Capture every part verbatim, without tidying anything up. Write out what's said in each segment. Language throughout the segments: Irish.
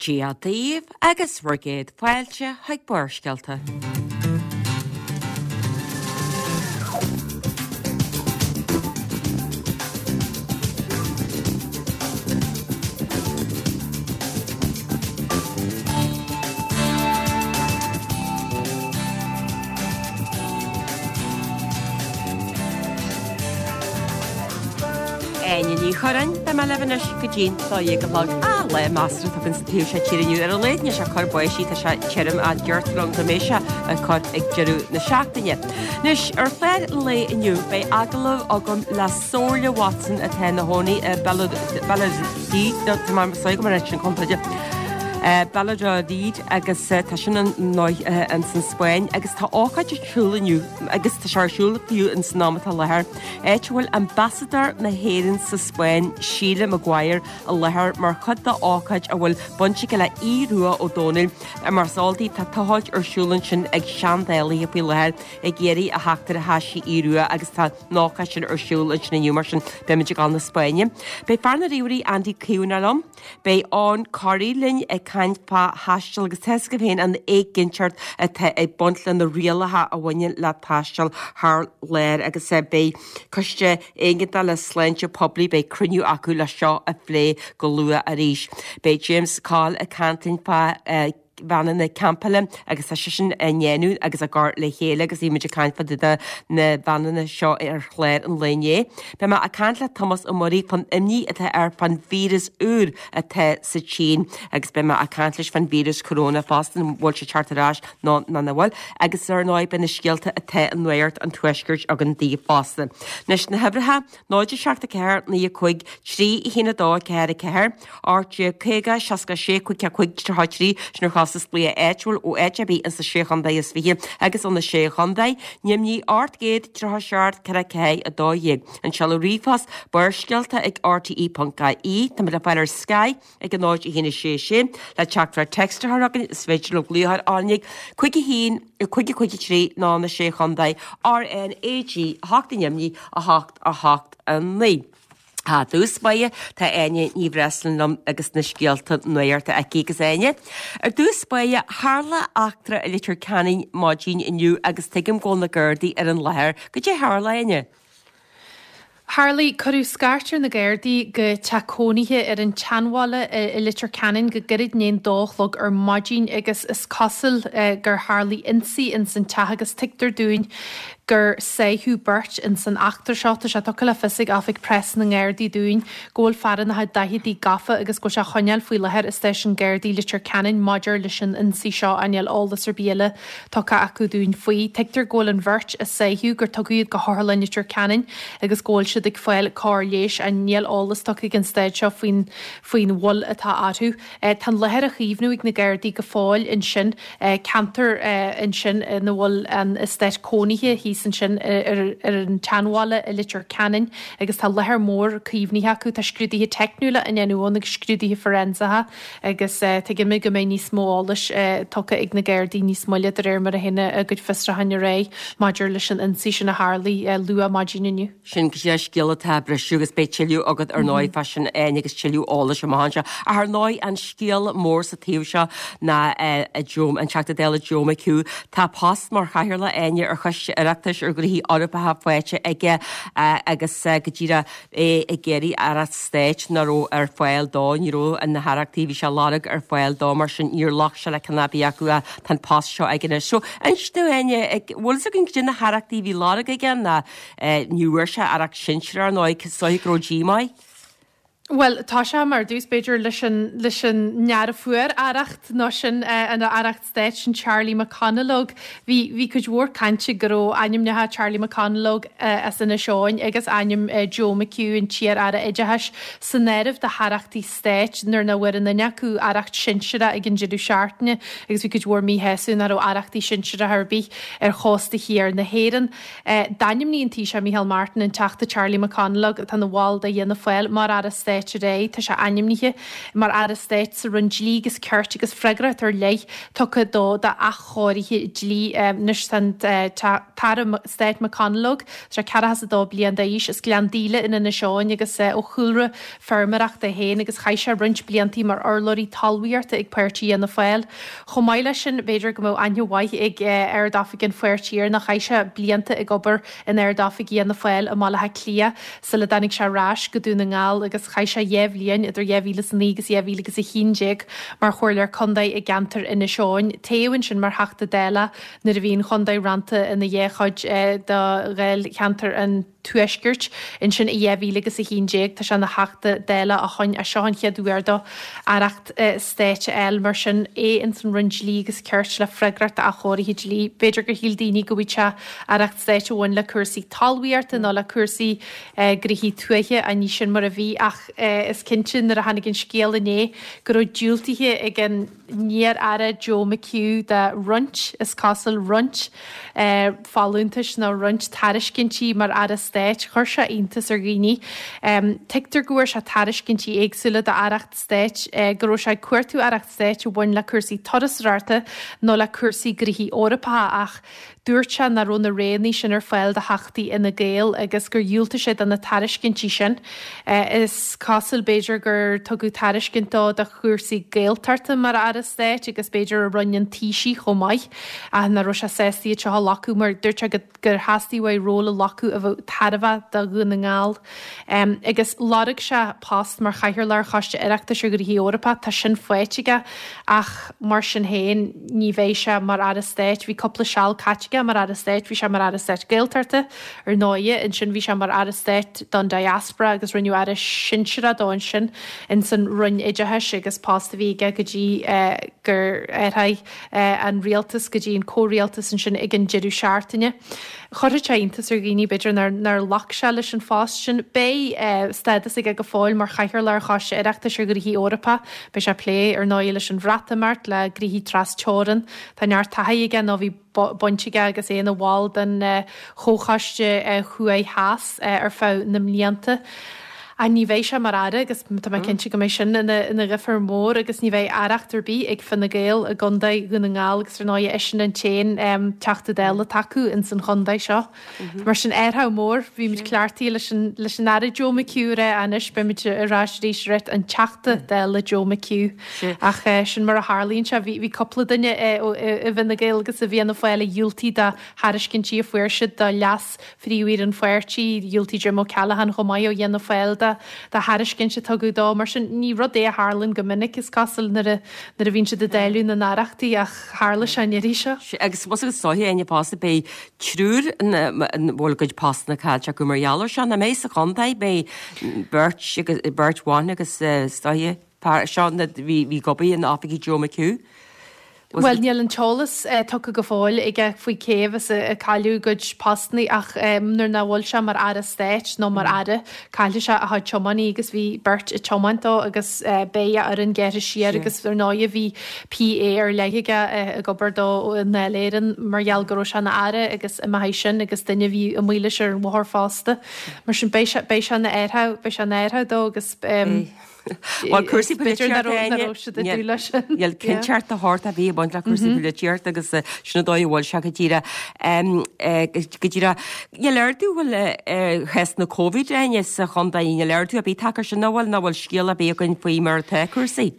Dia daoibh agus bhur gcéad fáilte chuig Barrscéalta. Áine Ní Churráin, beidh mé libh anois go dtí'n dó dhéag a chlog. Ah, lá measartha atá againn sa taobh seo tíre inniu. Ar a laghad níl sé ag cur báistí, tá sé tirim ach deirtear liom go mbeidh sé ag cur ag deireadh na seachtaine. Anois, ar chlár an lae inniu, beidh agallamh agam le Somhairle Watson atá ina chónaí i Valladolid, tá mé sorry go mbeidh sin contae Valladolid agus tá sin ar ndóigh ins an Spáinn agus tá ócáid ar siúl inniu agus tá sé ar siúl fiú ins an am atá i láthair, áit a bhfuil Ambasadóir na hÉireann sa Spáinn, Síle Maguire, i láthair mar chuid d'ócáid a bhfuil baint aige le Aodh Rua Ó Domhnaill. Mar is eol daoibh tá tochailt ar siúl ansin ag seandálaithe faoi láthair ag iarraidh a theacht ar thaisí Aodh Rua agus tá an ócáid sin ar siúl ansin inniu mar sin beimid ag dul na Spáinne. Beidh fear na ríomhairí Andy Caomhánach liom. Beidh Eoghan Corry linn ag caint fá thaisteal agus tá a fhios agaibh féin an éiginnteacht atá ag baint le na rialacha a bhaineann le taisteal thar lear agus beidh Coiste Éigeandála Sláinte Poiblí, beidh cruinniú acu le seo a phlé go luath arís. Beidh James Coll ag caint linn fá veaineanna campála agus tá sé sin á ndéanamh agus á gcur le chéile agus bhí muid ag caint fá dtaobh de na veaineanna seo ar chlár an lae inné. Beidh mé ag caint le Tomás Ó Muirí fán imní atá air fán víreas úr atá sa tSín agus beidh mé ag caint leis fán víreas corona fosta, an bhfuil sé ag teacht ar ais nó nach bhfuil agus ar ndóigh beidh na scéalta atá i Nuacht an Tuaiscirt againn daoibh fosta. Anois na huimhreacha, náid a seacht a ceathair naoi a cúig trí a haon a dó a ceathair a ceathair, ocht déag caoga seasca a sé cúig a cúig tríocha a trí, sin ar chostas glaoch áitiúil ó áit ar bith ins na Sé Chontae is Fiche agus ó na Sé Chontae, Nimhní ocht gcéad tríocha a seacht ceithre ceathair a dó dhéag. An seoladh ríomhphost, Barrscéalta ag rte ponc ie. Táimid le fáil ar Sky ag a náid a haon a sé sé. Le teachtaireacht téacs a chur chugainn is féidir libh glaoch ar RnaG cúig a haon cúig cúig a trí nó na Sé Chontae, RnaG a hocht i nDoimní a hocht a hocht a naoi. I dtús báire tá Áine Ní Bhreisleáin liom agus na scéalta nuachta aici agus Áine. Ar dtús báire, tharla eachtra i Leitir Ceanainn maidin inniu agus tuigim go bhfuil na Gardaí ar an láthair. Goidé tharla, Áine? Tharlaigh, cuireadh scairt ar na Gardaí go teach cónaithe ar an tSeanbhaile i Leitir Ceanainn go gairid i ndiaidh an dó a chlog ar maidin agus is cosúil gur tharlaigh ionsaí ins an teach agus tuigtear dúinn gur sáitheadh beirt ins an eachtra seo. Tá sé tugtha le fios ag Oifig Preas na nGardaí dúinn go bhfuil fear ina chuid daicheadaí gafa agus go bhfuil sé á choinneáil faoi láthair i Stáisiún Gardaí Leitir Ceanainn maidir leis an ionsaí seo ach níl eolas ar bith eile tugtha acu dúinn faoi. Tuigtear go bhfuil an bheirt a sáitheadh gur tugadh iad go hOtharlann Leitir Ceanainn agus go bhfuil siad ag fáil cóir leighis ach níl eolas tugtha ag an staid seo faoin faoin bhail atá orthu. Tá an láthair á chaomhnú ag na Gardaí go fóill ansin, ceantar ansin ina bhfuil an eastát cónaithe thíos ansin ar an tSeanbhaile i Leitir Ceanainn agus tá láthair mhór caomhnaithe acu. Tá scrúduithe teicniúla á ndéanamh ann agus scrúduithe forensacha agus tuigimid go mbeidh níos mó eolais tugtha ag na Gardaí níos moille de réir mar a théann a gcuid fiosrúcháin ar aghaidh maidir leis an ionsaí sin a tharlaigh luath maidin inniu. Sin go dtí scéal atá ag briseadh agus beidh tuilleadh agat ar ndóigh fá sin Áine agus tuilleadh eolais amach anseo. Ach ar ndóigh an scéal mór sa taobh seo ná Joe, an Teachta Dála Joe McHugh. Tá post mar chathaoirleach Áine ar Choiste Oireachtais ar Ghnóthaí Eorpacha faighte aige agus go díreach é ag iarraidh aireacht stáit nach raibh ar fáil dó, ní raibh na haireachtaí a bhí sé ag lorg ar fáil dó mar sin níor ghlac sé le ceann ar bith acu ach tá an post seo aige anois. So inis dúinn Áine, bhfuil fhios againn goidé na haireachtaí a bhí á lorg aige ná ní bhfuair sé aireacht sinsearach ar ndóigh, is dóigh go raibh díomá air. Bhuel, tá sé mar dtús, b'fhéidir, leis an, leis an neara fuair aireacht nó sin an aireacht stáit sin Charlie McConalogue. Bhí, bhí cuid mhór cainte go raibh ainmneacha Charlie McConalogue as Inis Eoghain agus ainm Joe McHugh, an t-iar-aire oideachais, san áireamh do haireachtaí stáit nuair nach bhfuair aon duine acu aireacht sinsearach ag an deireadh seachtaine agus bhí cuid mhór míshásamh nach raibh aireachtaí sinsearacha ar bith ar chósta thiar na hÉireann. D'ainmnigh an Taoiseach Micheál Martin an Teachta Charlie McConalogue, atá ina bhall de Fhianna Fáil, mar Aire Stáit Stáit ar aghaidh. Tá sé ainmnithe mar Aire Stáit sa Roinn Dlí agus Cirt agus freagracht ar leith tugtha dó d'athchóirithe dlí. Anois tá an tAire Stáit McConalogue, tá sé ceathracha is a dó bliain d'aois, as Gleann Díle in Inis Eoghain agus ó chúlra feirmeoireachta é féin agus chaith sé roinnt bliantaí mar urlabhraí talmhaíochta ag páirtí Fhianna Fáil. Chomh maith leis sin, b'fhéidir go mbeadh aithne mhaith ag Ard-Oifig an pháirtí air nó chaith sé blianta ag obair in Ard-Oifig Fhianna Fáil i mBaile Átha Cliath sula dtáinig sé ar ais go Dún na nGall agus chaith sé dhá bhliain idir dhá mhíle is a naoi agus dhá mhíle agus a haon déag mar chomhairleoir contae i gceantar Inis Eoghain. Toghadh ansin mar Theachta Dála nuair a bhí an chontae rannta ina dhá chuid do dháilcheantar an Tuaiscirt. Ansin i dhá mhíle agus a haon déag tá sé ina Theachta Dála ó shoin ach seo an chéad uair dó aireacht stáit a fháil mar sin é ins an Roinn Dlí agus Cirt le freagracht d'athchóirithe dlí. B'fhéidir gur shíl daoine go bhfaigheadh sé aireacht stáit a bhain le cúrsaí talmhaíochta nó le cúrsaí gnoithí tuaithe ach ní sin mar a bhí ach is cinnte nuair a tháinig an scéal inné go raibh diúltaithe ag an iar-aire Joe McHugh do roinnt, is cosúil, roinnt folúntais nó roinnt tairiscintí mar aire stáit. Chuir sé iontas ar dhaoine. Tuigtear go bhfuair sé tairiscintí éagsúla d'aireacht stáit, go raibh sé ag cuartú aireacht stáit a bhain le cúrsaí turasóireachta nó le cúrsaí gnoithí Eorpacha ach dúirt sé nach raibh na roghanna sin ar fáil do Theachtaí Fhine Gael agus gur dhiúltaigh sé do na tairiscintí sin. Is cosúil, b'fhéidir, gur tugadh tairiscint dó do chúrsaí Gaeltachta mar Aire Stáit agus b'fhéidir i Roinn an Taoisigh chomh maith ach nach raibh sé sásta iad seo a ghlacadh mar dúirt sé gur theastaigh uaidh ról a ghlacadh a bheadh tairbheach do Dhún na nGall. Agus lorg sé post mar Chathaoirleach ar Choiste Oireachtais ar Ghnóthaí Eorpacha, tá sin faighte aige ach mar sin féin ní bheidh sé mar Aire Stáit. Bhí cúpla seal caite aige mar Aire Stáit, bhí sé mar Aire Stáit Gaeltachta ar ndóighe, ansin bhí sé mar Aire Stáit don Diaspora agus rinneadh Aire Sinsearach dó ansin ins an Roinn Oideachais agus post a bhí aige go dtí gur athraigh an rialtas go dtí an comhrialtas ansin ag an deireadh seachtaine. Chuirfeadh sé iontas ar dhaoine, b'fhéidir, nár nár ghlac sé leis an phost sin. Beidh stádas aige go fóill mar Chathaoirleach ar Choiste Oireachtais ar Ghnóthaí Eorpacha. Beidh sé ag plé, ar ndóigh, leis an Bhreatimeacht, le gnoithí tras-teorann. Tá neart taithí aige nó bhí baint aige agus é ina bhall den Chomhchoiste Thuaidh Theas ar feadh na mblianta. Ach ní bheidh sé mar aire agus tá mé cinnte go mbeidh sin ina dhifear mór agus ní bheidh aireacht ar bith ag Fine Gael i gContae Dhún na nGall agus ar ndóigh eisean an t-aon Teachta Dála atá acu ins an chontae seo. Mar sin athrú mór, bhí muid cleachtaithe leis an leis an Aire Joe McHugh a rá anois beidh muid ar ais arís ag rá an Teachta Dála Joe McHugh. Ach sin mar a tharlaíonn sé, bhí bhí cúpla duine i bhFine Gael agus i bhFianna Fáil a dhiúltaigh do thairiscintí a fuair siad do leas phríomh-aoire an pháirtí, dhiúltaigh Jim O'Callaghan chomh maith ó Fhianna Fáil do thairiscint a tugadh dó. Mar sin, ní rud é a tharlaíonn go minic, is cosúil, nuair a nuair a bhíonn siad ag dáileadh na n-aireachtaí ach tharla sé an iarraidh seo. Agus más agus is dóiche, Áine, fosta, beidh triúr ina bhfuil a gcuid postanna caillte acu mar gheall air seo. Nach mbeidh sa chontae, beidh beirt agus beirt bhan agus is dóiche, seo na bhí bhí ag obair in oifigí Joe McHugh. Bhuel, níl an t-eolas tugtha go fóill aige faoi cé as a cailleadh a gcuid postanna ach nuair nach bhfuil sé mar Aire Stáit nó mar Aire, caillfidh sé a chuid tiománaí agus bhí beirt ag tiomáint dó agus beidh a fhoireann gearrtha siar agus ar ndóigh bhí PA ar leith aige ag obair dó i nDáil Éireann mar gheall go raibh sé ina Aire agus imeoidh sin agus duine a bhí amuigh leis ar an bhóthar fosta. Mar sin beidh sé beidh sé ina athrú beidh sé ina athrú dó agus Bhuel, cúrsaí polaitíochta, Áine, níl cinnteacht de shórt ar bith ag baint le cúrsaí polaitíochta agus sin an dóigh a bhfuil sé go díreach. Go díreach. Níl ardú bhfuil ar chásanna Covid, Áine, sa chontae, níl ardú ar bith tagtha air sin, an bhfuil, nó an bhfuil scéal ar bith againn faoi mar atá cúrsaí?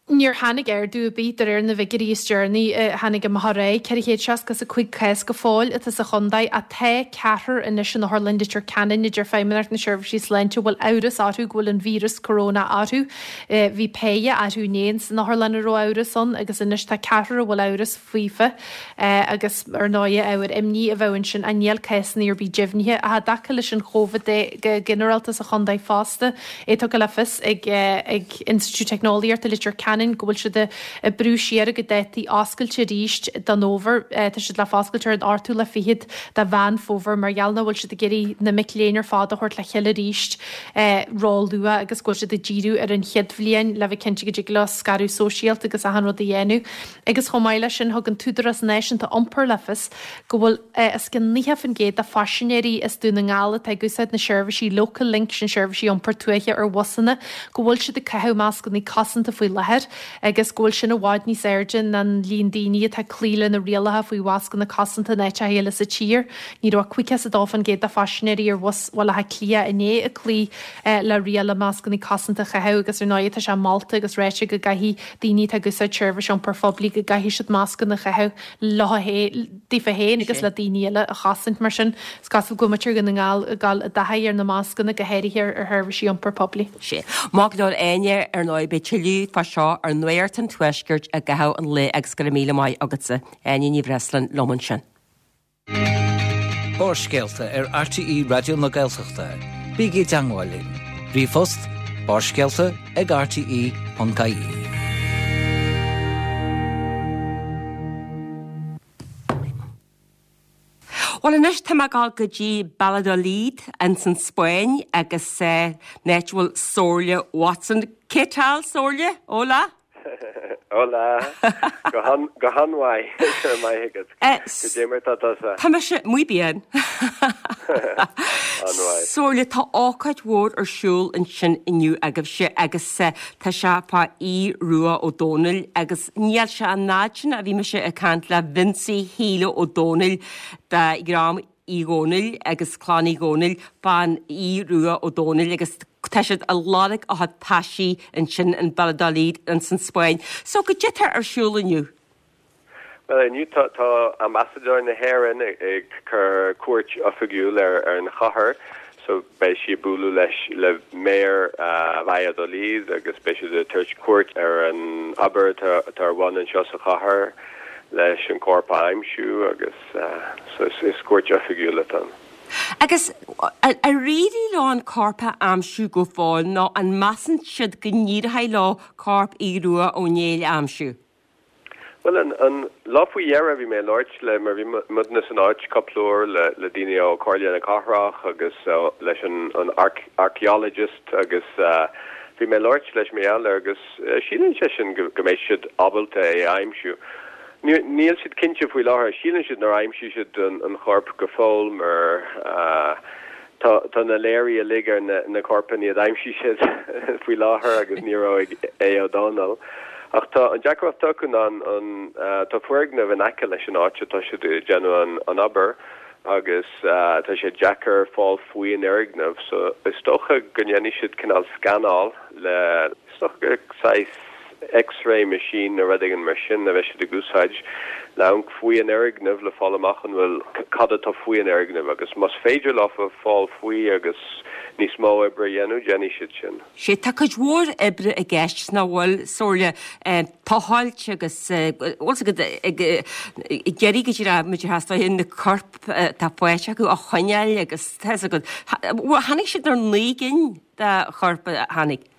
Níor tháinig ardú ar bith de réir na bhfigiúirí is deireanaí a tháinig amach aréir. ceithre chéad seasca is a cúig cás go fóill atá sa chontae ach tá ceathrar anois in Otharlann Leitir Ceanainn a deir Feidhmeannacht na Seirbhísí Sláinte a bhfuil amhras orthu go bhfuil an víreas corona orthu. Bhí péire arú inné san otharlann a raibh amhras ann agus anois tá ceathrar a bhfuil amhras faofa agus ar ndóigh ábhar imní a bheadh ansin ach níl cásanna ar bith deimhnithe. Ach i dtaca leis an Chóivid de go ginearálta sa chontae fosta, é tugtha le fios ag ag Institiúid Teicneolaíochta Leitir Ceanainn, Ceanainn go bhfuil siad ag brú siar a gcuid dátaí oscailte arís don fhómhar. Tá siad le foscailt ar an ochtú lá fichead de Mheán Fómhair mar gheall nach bhfuil siad ag iarraidh na mic léinn ar fad a thabhairt le chéile arís ró-luath agus go bhfuil siad ag díriú ar an chéad bhliain le bheith cinnte go dtig leo scaradh sóisialta agus achan rud a dhéanamh. Agus chomh maith leis sin thug an tÚdarás Náisiúnta Iompair le fios go bhfuil os cionn nócha faoin gcéad de phaisinéirí as Dún na nGall atá ag úsáid na seirbhísí Local Link sin seirbhísí iompair tuaithe ar bhusanna go bhfuil siad ag caitheamh mascanna cosanta faoi láthair agus go bhfuil sin i bhfad níos airde ná an líon daoine atá ag cloí le na rialacha faoi mhascanna cosanta in áiteacha eile sa tír. Ní raibh caoga is a dó faoin gcéad de phaisinéirí ar bhus Bhaile Átha Cliath inné ag cloí le riail mascanna cosanta a chaitheamh agus ar ndóigh tá sé molta agus ráite go gcaithfidh daoine atá ag úsáid seirbhís iompair phoiblí go gcaithfidh siad mascanna a chaitheamh leo daofa féin agus le daoine eile a chosaint mar sin. Is cosúil go bhfuil muintir Dhún na nGall ag dul i dtaithí ar na mascanna go háirithe ar sheirbhísí iompair poiblí. Sé. Maith go leor Áine ar ndóigh beidh tuilleadh fá seo ar Nuacht an Tuaiscirt i gcaitheamh an lae agus go raibh míle maith agatsa. Áine Ní Bhreisleáin liom ansin. Barrscéalta ar RTÉ Raidió na Gaeltachta. Bígí i dteagmháil linn. Ríomhphost barrscéalta ag rte.ie. Bhuel anois tá mé ag dul go dtí Valladolid ins an Spáinn agus eh, an áit a bhfuil Somhairle Watson. ¿Qué tal, Somhairle? Hola. Hola. Go han go han-mhaith go raibh maith agat. Eh, Goidé mar tá tusa. Tá mise muy bien. An-mhaith. Somhairle tá ócáid mhór ar siúl ansin inniu agaibhse agus eh, tá sé fá Aodh Rua Ó Dónaill agus níl sé an fhad sin a bhí mise ag caint le Vincie Shíle Ó Dónaill de dhream Uí Dhónaill agus clann Uí Dhónaill fán Aodh Rua Ó Dónaill agus tá siad ag lorg a chuid taisí ansin in Valladolid ins an Spáinn. So goidé atá ar siúl inniu. Well inniu tá tá ambasadóir na hÉireann ag ag cur cuairt oifigiúil ar ar an chathair, so beidh sí ag bualadh leis le mayor uh, Valladolid agus beidh siad ag tabhairt cuairt ar an obair atá atá ar bun anseo sa chathair leis an corp a aimsiú agus uh, so is, is cuairt oifigiúil atá ann. Agus ar éirigh leo an corp a aimsiú go fóill nó an measann siad go n-éireoidh leo corp Aodh Rua Ó Néill a aimsiú. Well an, an lá faoi dheireadh bhí mé ag labhairt le mar bhí muidne san áit cúpla uair le, le daoine ó Comhairle na Cathrach agus uh, leis an, an arch, archaeologist agus uh, bhí mé ag labhairt leis mé eile agus uh, síleann sé sin go, go mbeidh siad ábalta é a aimsiú. Níl siad cinnte faoi láthair, síleann siad nár aimsigh siad an, an corp go fóill mar uh, tá tá na léirí uilig ar na, na corpanna a d'aimsigh siad faoi láthair agus ní raibh ag Aodh Ó Dónaill. Ach tá an deacracht acu ná an, an uh, tá foirgneamh in aice leis an áit atá siad ag déanamh an, an obair agus uh, tá sé deacair fáil faoi an fhoirgneamh, so is dócha go ndéanfaidh siad cineál scanáil le is dócha gur saghas X-ray machine nó rud éigin mar sin a bheidh siad ag úsáid le amharc faoi an fhoirgneamh le fáil amach an bhfuil cad atá faoi an fhoirgneamh agus más féidir leo fáil faoi agus níos mó oibre a dhéanamh, déanfaidh siad sin. Sé tá cuid mhór oibre i gceist nach bhfuil Somhairle tochailt agus bhfuil go ag deirí go dtí muid theastaigh na coirp tá faighte acu a choinneáil agus tá go tháinig siad ar naoi gcinn de choirp a tháinig.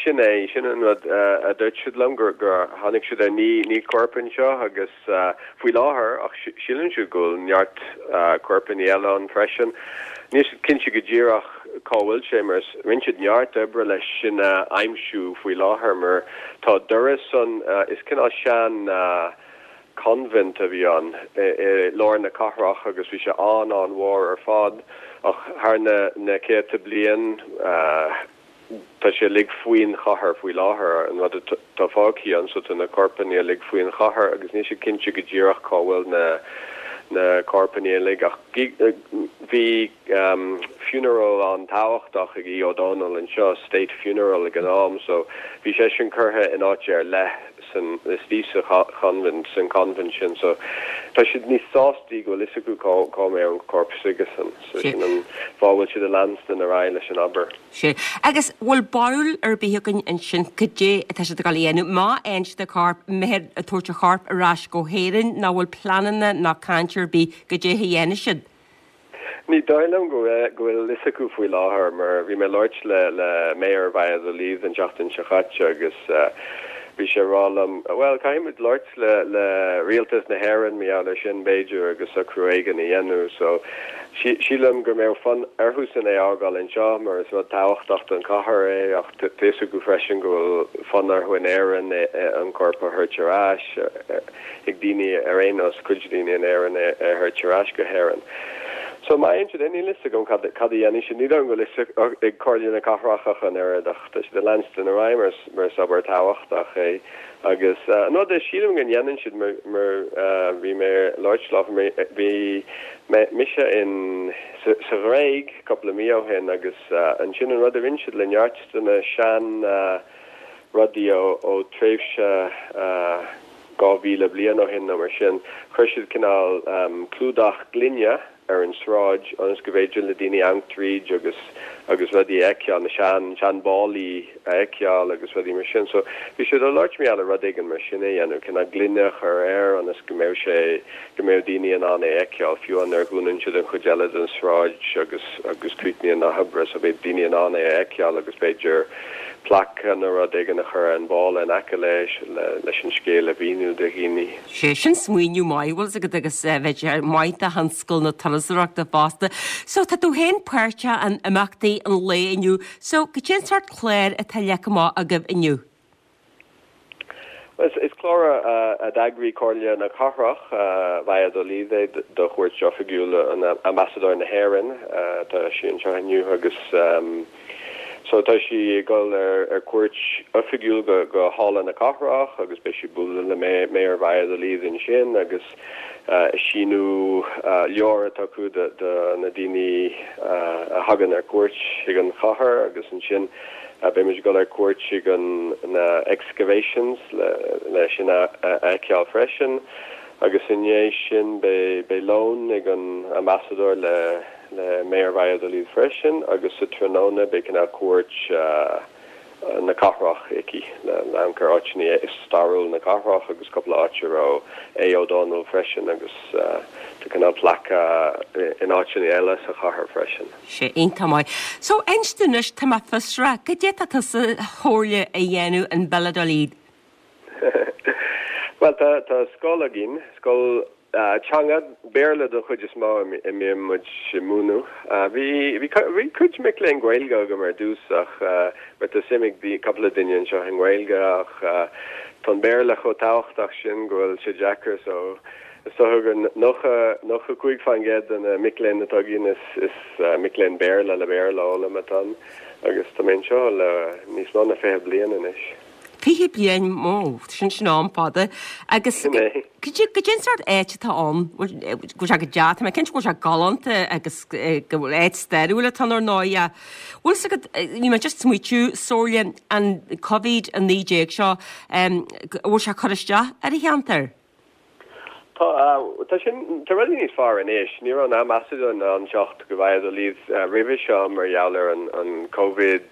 Sin é sin an rud a dúirt siad liom gur gur tháinig siad ar naoi naoi corp anseo agus faoi láthair ach síleann siad go bhfuil neart corpanna eile ann freisin. Níl siad cinnte go díreach cá bhfuil sé mar rinne siad neart oibre leis sin a aimsiú faoi láthair mar tá doras an is cineál sean convent a bhí ann i lár na cathrach agus bhí sé an an-mhór ar fad ach thar na na céadta bliain tá sé uilig faoin chathair faoi láthair an rud atá fágtha ann so tá na corpanna uilig faoin chathair agus níl siad cinnte go díreach cá bhfuil na na corpanna uilig ach bhí um, funeral an-tábhachtach ag Aodh Ó Dónaill anseo state funeral ag an am so bhí sé sin curtha in áit ar leith san istigh sa convent san convent sin so tá siad níos sástaí go bhfuil fhios acu cá cá mbeidh an corp s'aigesan so sin an fáth bhfuil siad ag leanstan ar aghaidh leis an obair. Sé agus bhfuil barúil ar bith againn ansin goidé atá siad ag dul a dhéanamh má fhaigheann siad an corp mbeidh ag tabhairt an choirp ar ais go hÉirinn nach bhfuil pleananna ná caint ar bith goidé a dhéanfaidh siad. Ní dóigh liom go go bhfuil fhios acu faoi láthair mar bhí mé ag labhairt le le Mayor Valladolid an tseachtain seo caite agus uh, bhí sé ag rá liom, bhuel, caithfidh muid labhairt le le rialtas na hÉireann mar gheall air sin b'fhéidir agus socrú éigin a dhéanamh so sílim go mbeadh fonn orthusan é a fhágáil anseo mar is rud tábhachtach don chathair é ach tá fhios acu freisin go bhfuil fonn orthu in Éirinn an corp a thabhairt ar ais ag daoine ar aon nós cuid daoine in Éirinn é a thabhairt ar ais go hÉirinn. So má fhaigheann siad é níl fhios agam cad cad a dhéanfaidh siad. Ní dóigh liom go bhfuil fhios ag Comhairle na Cathrach ach an oiread ach tá siad ag leanstan ar aghaidh mar mar is obair tábhachtach é. Agus an rud é sílim go ndéanann siad mar mar bhí mé ag labhairt leo bhí mé mise in sa sa Ghréig cúpla mí ó shin agus ansin an rud a rinne siad le neart de na sean rudaí ó ó tréimhse dhá mhíle bliain ó shin nó mar sin, chuir siad cineál clúdach gloine ar an sráid ionas go bhféidir le daoine amharc tríd agus agus rudaí a fheiceáil, na sean sean báillí a fheiceáil agus rudaí mar sin. So bhí siad ag labhairt mar gheall ar rud éigin mar sin a dhéanamh, cineál gloine a chur air ionas go mbeadh sé go mbeadh daoine in ann é a fheiceáil fiú nuair a dhúnann siad an chuid eile den sráid agus agus críochnaíonn na hoibre so beidh daoine in ann é a fheiceáil agus b'fhéidir plaic nó rud éigin a chur ar an bhalla in aice leis leis an scéal a mhíniú do dhaoine. Sé sin smaoineamh maith bhfuil agat agus bheadh sé maith do thionscal na turasóireachta fosta. So tá tú féin páirteach in imeachtaí an lae inniu, so cad é an sórt cláir atá leagtha amach agaibh inniu? Is is clár a d'eagraigh Comhairle na Cathrach Valladolid é do chuairt oifigiúil an Ambasadóir na hÉireann tá sí anseo inniu agus so tá sí ag dul ar ar cuairt oifigiúil go go Halla na Cathrach agus beidh sí ag bualadh le Mayor Valladolid ansin agus síniú leabhar atá acu do na daoine a thagann ar cuairt chuig an chathair agus ansin beidh muid ag dul ar cuairt chuig an na excavations le le sin a fheiceáil freisin agus i ndiaidh sin beidh beidh lón ag an ambasadóir le le Mayor Valladolid freisin agus sa tráthnóna beidh cineál cuairt na cathrach aici le amharc ar áiteanna stairiúil na cathrach agus cúpla áit a raibh Aodh Ó Dónaill freisin agus tá cineál plaic in áiteanna eile sa chathair freisin. Sé iontach maith. So inis dúinn anois tá mé fiosrach, cad é atá tusa Shomhairle a dhéanamh in Valladolid? Well tá tá scoil againn, scoil teanga Béarla don chuid is mó a mbíonn muid ag múineadh. Bhí bhí bhí cuid mic léinn Gaeilge agam ar dtús ach mar tá suim ag cúpla duine anseo i nGaeilge ach tá an Béarla chomh tábhachtach sin go bhfuil sé deacair so is dócha gur nócha nócha cúig faoin gcéad de na mic léinn atá againn is is mic léinn Béarla le Béarla a fhoghlaim atá ann agus tá mé anseo le níos mó ná fiche bliain anois. Fiche bliain ó sin sin am fada agus Sin é. Cad é an sórt áit atá ann go bhfuil sé go deas tá mé cinnte go bhfuil sé galánta agus go bhfuil áit stairiúil atá ann ar ndóigh bhfuil fhios agat bhí mé just smaoitiú Somhairle an Covid a naoi déag seo bhfuil sé cur isteach ar an cheantar? Tá tá sin tá rudaí níos fearr anois, ní raibh an ambasadóir in ann teacht go Valladolid roimhe seo mar gheall ar an an Covid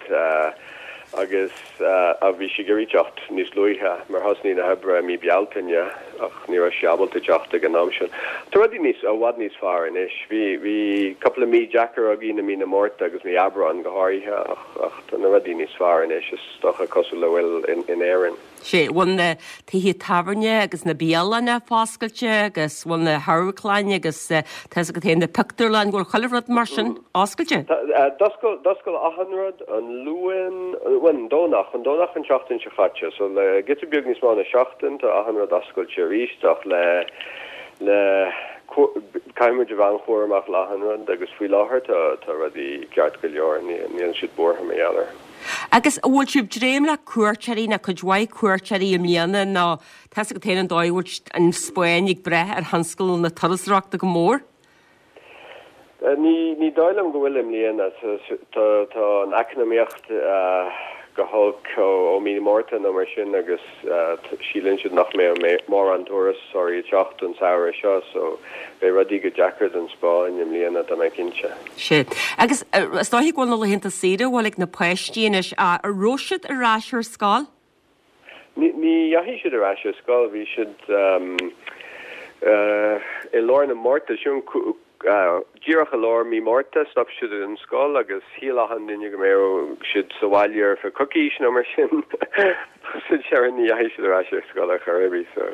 agus a bhí sí ag iarraidh teacht níos luaithe mar thosnaigh na hoibre i mí Bealtaine ach ní raibh sí ábalta teacht ag an am sin. Tá rudaí níos i bhfad níos fearr anois. Bhí bhí cúpla mí deacair againn i mí na Márta agus mí Aibreán go háirithe ach ach tá na rudaí níos fearr anois is dócha cosúil le bhfuil in in Éirinn. Sé bhfuil na tithe tábhairne agus na bialanna foscailte agus bhfuil na hamharclanna agus tá fhios agat féin na pictiúrlann bhfuil chuile rud mar sin oscailte? D'oscail d'oscail achan rud an Luan bhuel an Domhnach an Domhnach an tseachtain seo caite so le giota beag níos mó ná seachtain tá achan rud oscailte arís ach le le caithfidh muid a bheith an-chúramach le achan rud agus faoi láthair tá tá rudaí ceart go leor níl siad buartha mar gheall air. Agus an bhfuil sibh dréim le cuairteoirí na cuid mhaith cuairteoirí i mbliana nó tá fhios agat féin an dóigh bhfuil an Spáinn ag brath ar thionscal na turasóireachta go mór? Ní ní dóigh liom go bhfuil i mbliana tá tá an eacnamaíocht go holc ó mí Márta nó mar sin agus síleann siad nach mbeidh mórán turasóirí ag teacht an samhradh seo so beidh rudaí go deacair don Spáinn i mbliana tá mé cinnte. Sé. Agus is dóigh go bhfuil na laethanta saoire bhfuil ag na páistí anois a raibh siad ar ais ar scoil? Ní ní dheachaigh siad ar ais ar scoil, bhí siad i lár na Márta sin díreach i lár mí Márta stop siad an scoil agus shíl achan duine go mbeadh siad sa bhaile ar feadh coicís nó mar sin sa deireadh ní dheachaigh siad ar ais ar scoil ar chor ar bith so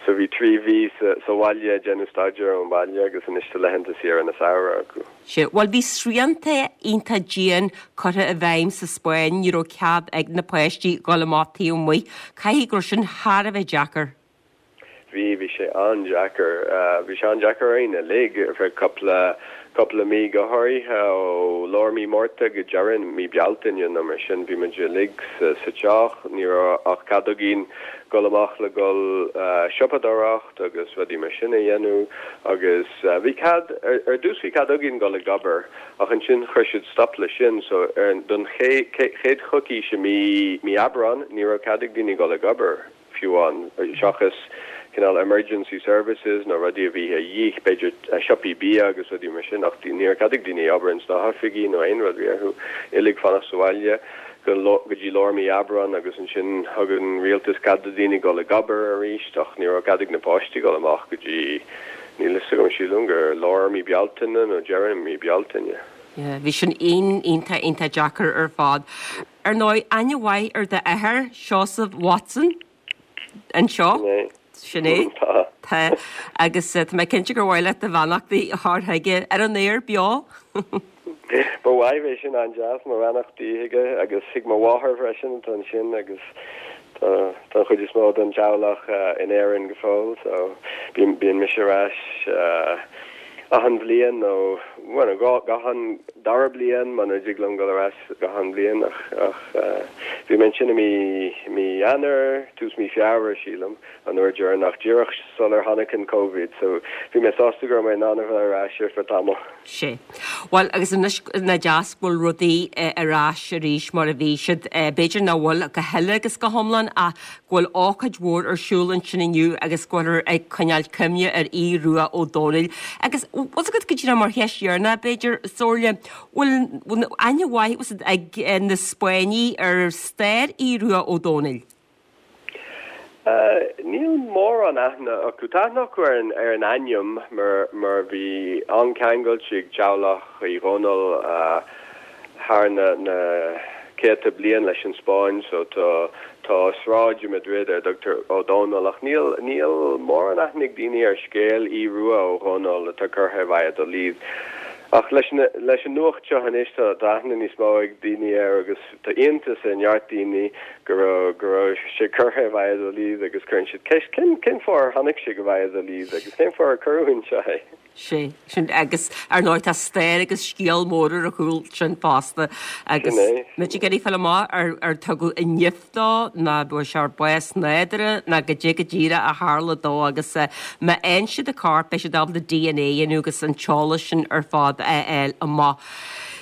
so bhí trí mhí sa sa bhaile ag déanamh staidéar ón bhaile agus anois tá laethanta saoire na samhradh acu. Sea, bhuel bhí srianta iontach dian curtha i bhfeidhm sa Spáinn, ní raibh cead ag na páistí dhul amach taobh amuigh. Caithfidh go raibh sin thar a bheith deacair. Bhí, bhí sé an-deacair. Bhí sé an-deacair orainn uilig ar feadh cúpla, cúpla mí go háirithe, ó lár mí Márta go deireadh mí Bealtaine nó mar sin. Bhí muid uilig sa, sa teach, ní raibh ach cead againn dul amach le dul siopadóireacht agus rudaí mar sin a dhéanamh agus bhí cead, ar, ar dtús bhí cead againn dul ag obair ach ansin chuir siad stop leis sin so ar, don chéad, chéad choicís i mí, mí Aibreán ní raibh cead ag daoine dul ag obair. fiú amháin, seachas cineál emergency services nó rudaí a bhí a dhíth, b'fhéidir siopaí bia agus rudaí mar sin, ach ní raibh cead ag daoine obair ins na hoifigí nó aon rud, bhí orthu uilig fanacht sa bhaile go go dtí lár mí Aibreán agus ansin thug an rialtas cead do dhaoine dul ag obair arís ach ní raibh cead ag na páistí dul amach go dtí, níl fhios agam, sílim gur lár mí Bealtaine nó deireadh mí Bealtaine. Yeah, bhí sin iontach iontach deacair ar fad. Ar ndóigh, aithne mhaith ar d'athair, Seosamh Watson, anseo. Sin é. Tá. Tá. Agus tá mé cinnte gur mhaith leat do bheannachtaí a chur chuige ar an aer beo. Ba mhaith, bheadh sin an-deas, mo bheannachtaí chuige agus chuig mo mháthair freisin atá ansin agus tá tá an chuid is mó den teaghlach in Éirinn go fóill so bíonn bíonn mise ar ais achan bhliain nó bhuel gach an dara bliain muna dtig liom dul ar ais gach an bhliain ach ach bhí mé ansin i mí mí Eanáir, tús mí Feabhra sílim, an uair dheireanach, díreach sular tháinig an Covid so bhí mé sásta go raibh mé in ann a bheith ar ais ar feadh tamaill. Sea. Bhuel agus anois nach deas go bhfuil rudaí ar ais arís mar a bhí siad, b'fhéidir nach bhfuil go huile agus go hiomlán ach go bhfuil ócáid mhór ar siúl ansin inniu agus go bhfuiltear ag coinneáil cuimhne ar Aodh Rua Ó Dónaill. Agus bhfuil fhios agat go díreach mar cheist dheireanach b'fhéidir, Somhairle, bhfuil bhfuil aithne mhaith ag na Spáinnigh ar stair Aodh Rua Ó Dónaill? Níl mórán aithne acu. Tá aithne acu ar an ar an ainm mar mar bhí an-cheangal ag teaghlach Uí Dhónaill thar na na céadta bliain leis an Spáinn so tá tá sráid i Madrid ar a dtugtar Ó Dónaill ach níl níl mórán aithne ag daoine ar scéal Aodh Rua Ó Dhónaill atá curtha i Valladolid. Ach leis na leis an nuacht seo anois tá tá aithne níos mó ag daoine air agus tá iontas ar neart daoine go raibh go raibh sé curtha i Valladolid agus cuireann siad ceist cén cén fáth ar tháinig sé go Valladolid agus cén fáth ar cuireadh anseo é. Sea, sin agus ar ndóigh tá stair agus scéal mór ar a chúl sin fosta agus muid ag iarraidh fáil amach ar ar tugadh an nimh dó nó an bhfuair sé bás nádúrtha nó goidé go díreach a tharla dó agus má fhaigheann siad a chorp beidh siad ábalta DNA a dhéanamh agus an t-eolas sin ar fad a fháil amach.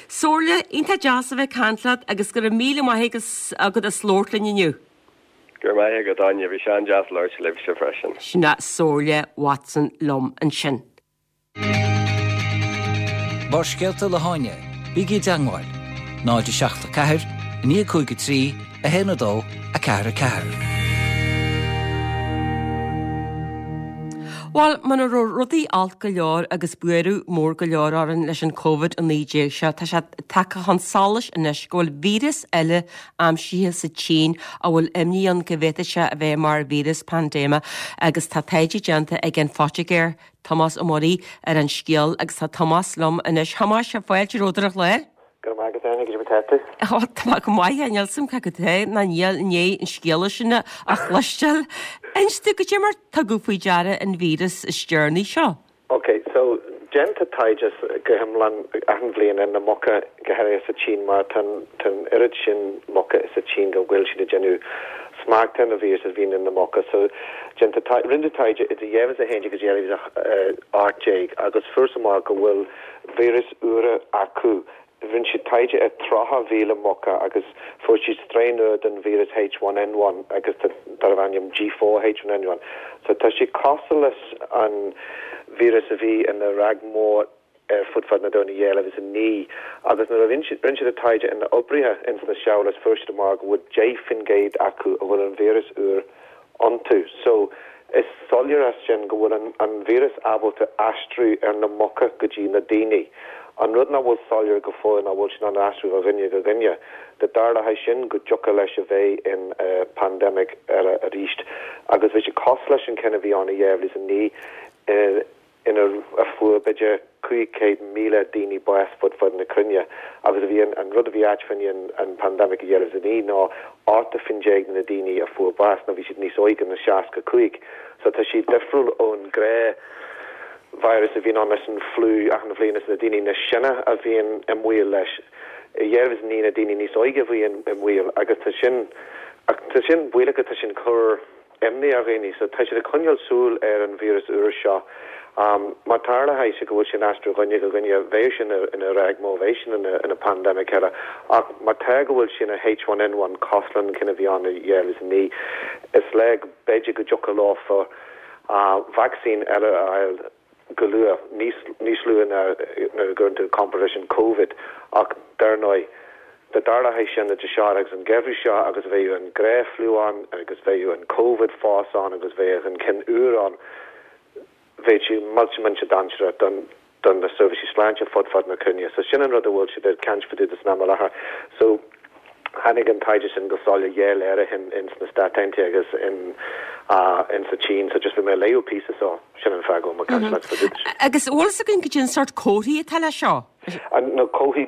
Somhairle, iontach deas a bheith ag caint leat agus go raibh míle maith agat as labhairt linn inniu. Go raibh maith agat, Áine, bhí sé an-deas labhairt libhse freisin. Sin é Somhairle Watson liom ansin. Barrscéalta le hÁine, bígí i dteagmháil, náid a seacht a ceathair, a naoi cúig a trí, a haon a dó, a ceathair a ceathair. Bhuel, muna raibh rudaí olc go leor agus buaireamh mór go leor orainn leis an Covid a naoi déag seo, tá sé tagtha chun solais anois go bhfuil víreas eile aimsithe sa tSín a bhfuil imní ann go bhféadfadh sé a bheith mar víreas paindéime agus tá taighde déanta ag an phoitigéir Tomás Ó Muirí ar an scéal agus tá Tomás liom anois. Thomáis, fáilte romhat ar an chlár. Go raibh maith agat, Áine, goidé mar atá tú? Ó, tá mé go maith, níl 'fhios a'm cé acu atá ná níl i ndiaidh an scéala sin a chloisteáil. Inis domh, goidé mar tugadh faoi deara an víreas is deireanaí seo? Ok, so déantar taighde go hiomlán achan bhliain ar na muca, go háirithe sa tSín, mar tá an oiread sin muca sa tSín go bhfuil siad ag déanamh smacht ar na víreas a bhíonn in na muca. So déantar rinneadh taighde idir dhá mhíle is a haon déag agus dhá mhíle is a hocht déag agus fuarthas amach go bhfuil víreas úra acu. Rinne siad taighde ar tríocha mhíle muca agus fuair siad strain nua den víreas H one N one agus darbh ainm G four H one N one. So tá sé cosúil leis an víreas a bhí ina ráig mór ar fud fad na domhain i dhá mhíle is a naoi agus nuair a rinne siad an taighde ar na oibrithe ins na seabhail fuair siad amach go bhfuil deich faoin gcéad acu a bhfuil an víreas úr iontu. So is soiléir as sin go bhfuil an an víreas ábalta aistriú ar na muca go dtí na daoine An rud nach bhfuil soiléir go fóill ná bhfuil sin an aistriú ó dhuine go dhuine. Dá dtarlódh sin go dtiocfadh leis a bheith in pandemic eile arís agus bhí sé cosúil leis an ceann a bhí ann i dhá mhíle is a naoi ina a fuair b'fhéidir cúig chéad míle daoine bás fud fad na cruinne agus a bhí an rud a bhí ait faoin an pandemic i dhá mhíle is a naoi ná ochtó faoin déag de na daoine a fuair bás ná bhí siad níos óige ná seasca cúig so tá siad difriúil ón ghnáth virus a bhíonn ann leis an fliú achan bhliain is na daoine níos sine a bhíonn i mbaol leis. I dhá mhíle is a naoi na daoine níos óige a bhí i mbaol agus tá sin tá sin baolach tá sin cur imní ar dhaoine so tá siad ag coinneáil súil ar an víreas úr seo. Um, má tarlaíonn sé go bhfuil sin aistriú dhuine go dhuine bheidh sin ina ráig mhór bheidh sin ina, ina pandemic eile ach má tá go bhfuil sin a H one N one cosúil leis an ceann a bhí ann i dhá mhíle is a naoi is le b'fhéidir go dtiocfadh leofa uh, vaccine eile a fháil go luath níos níos luaithe ná nuair a gcuireann tú competition Covid ach dar ndóigh dá dtarlódh sin idir seo agus an geimhreadh seo agus bheadh an gnáth-fhliú ann agus bheadh an Covid fós ann agus bheadh an ceann úr ann bheadh sé millteach millteach dainséarach don don na seirbhísí sláinte fud fad na cruinne. So sin an rud a bhfuil siad ag caint fá dtaobh de san am i láthair. So tháinig an taighde sin go soiléir dhá lá ó shin in sna Stáit Aontaithe agus in uh, in sa tSín, so just bhí mé ag léamh píosa so sin an fáth go mbeidh caint leat fá dtaobh. Agus bhfuil fhios againn cad é an sórt comharthaí atá le seo? An na comharthaí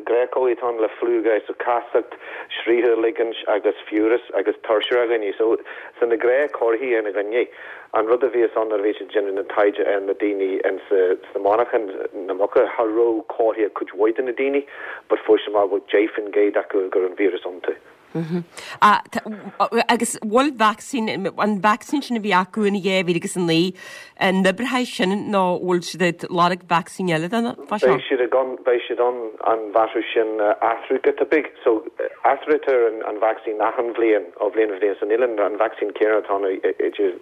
gnáthchomharthaí atá le fliú gai so casacht, sraoth a ligint agus fiabhras agus tuirse ar dhaoine. So so na gnáthchomharthaí ar na daoine. An rud a bhí ann nuair a bhí siad déanamh na taighde ar na daoine in sa sna monarchain na muca cha raibh comharthaí cuid mhaith de na daoine, but fuair siad amach go bhfuil deich faoin gcéad acu go raibh an víreas iontu. Ah, agus bhfuil vaccine an vaccine sin a bhí acu in dhá mhíle agus a naoi an oibreoidh sin nó bhfuil siad ag lorg vaccine eile den fá seo? Beidh siad ag an beidh siad an an bhatú sin athrú giota beag so athraítear an an vaccine achan bhliain ó bhliain go bliain so níl an an vaccine céanna atá ann idir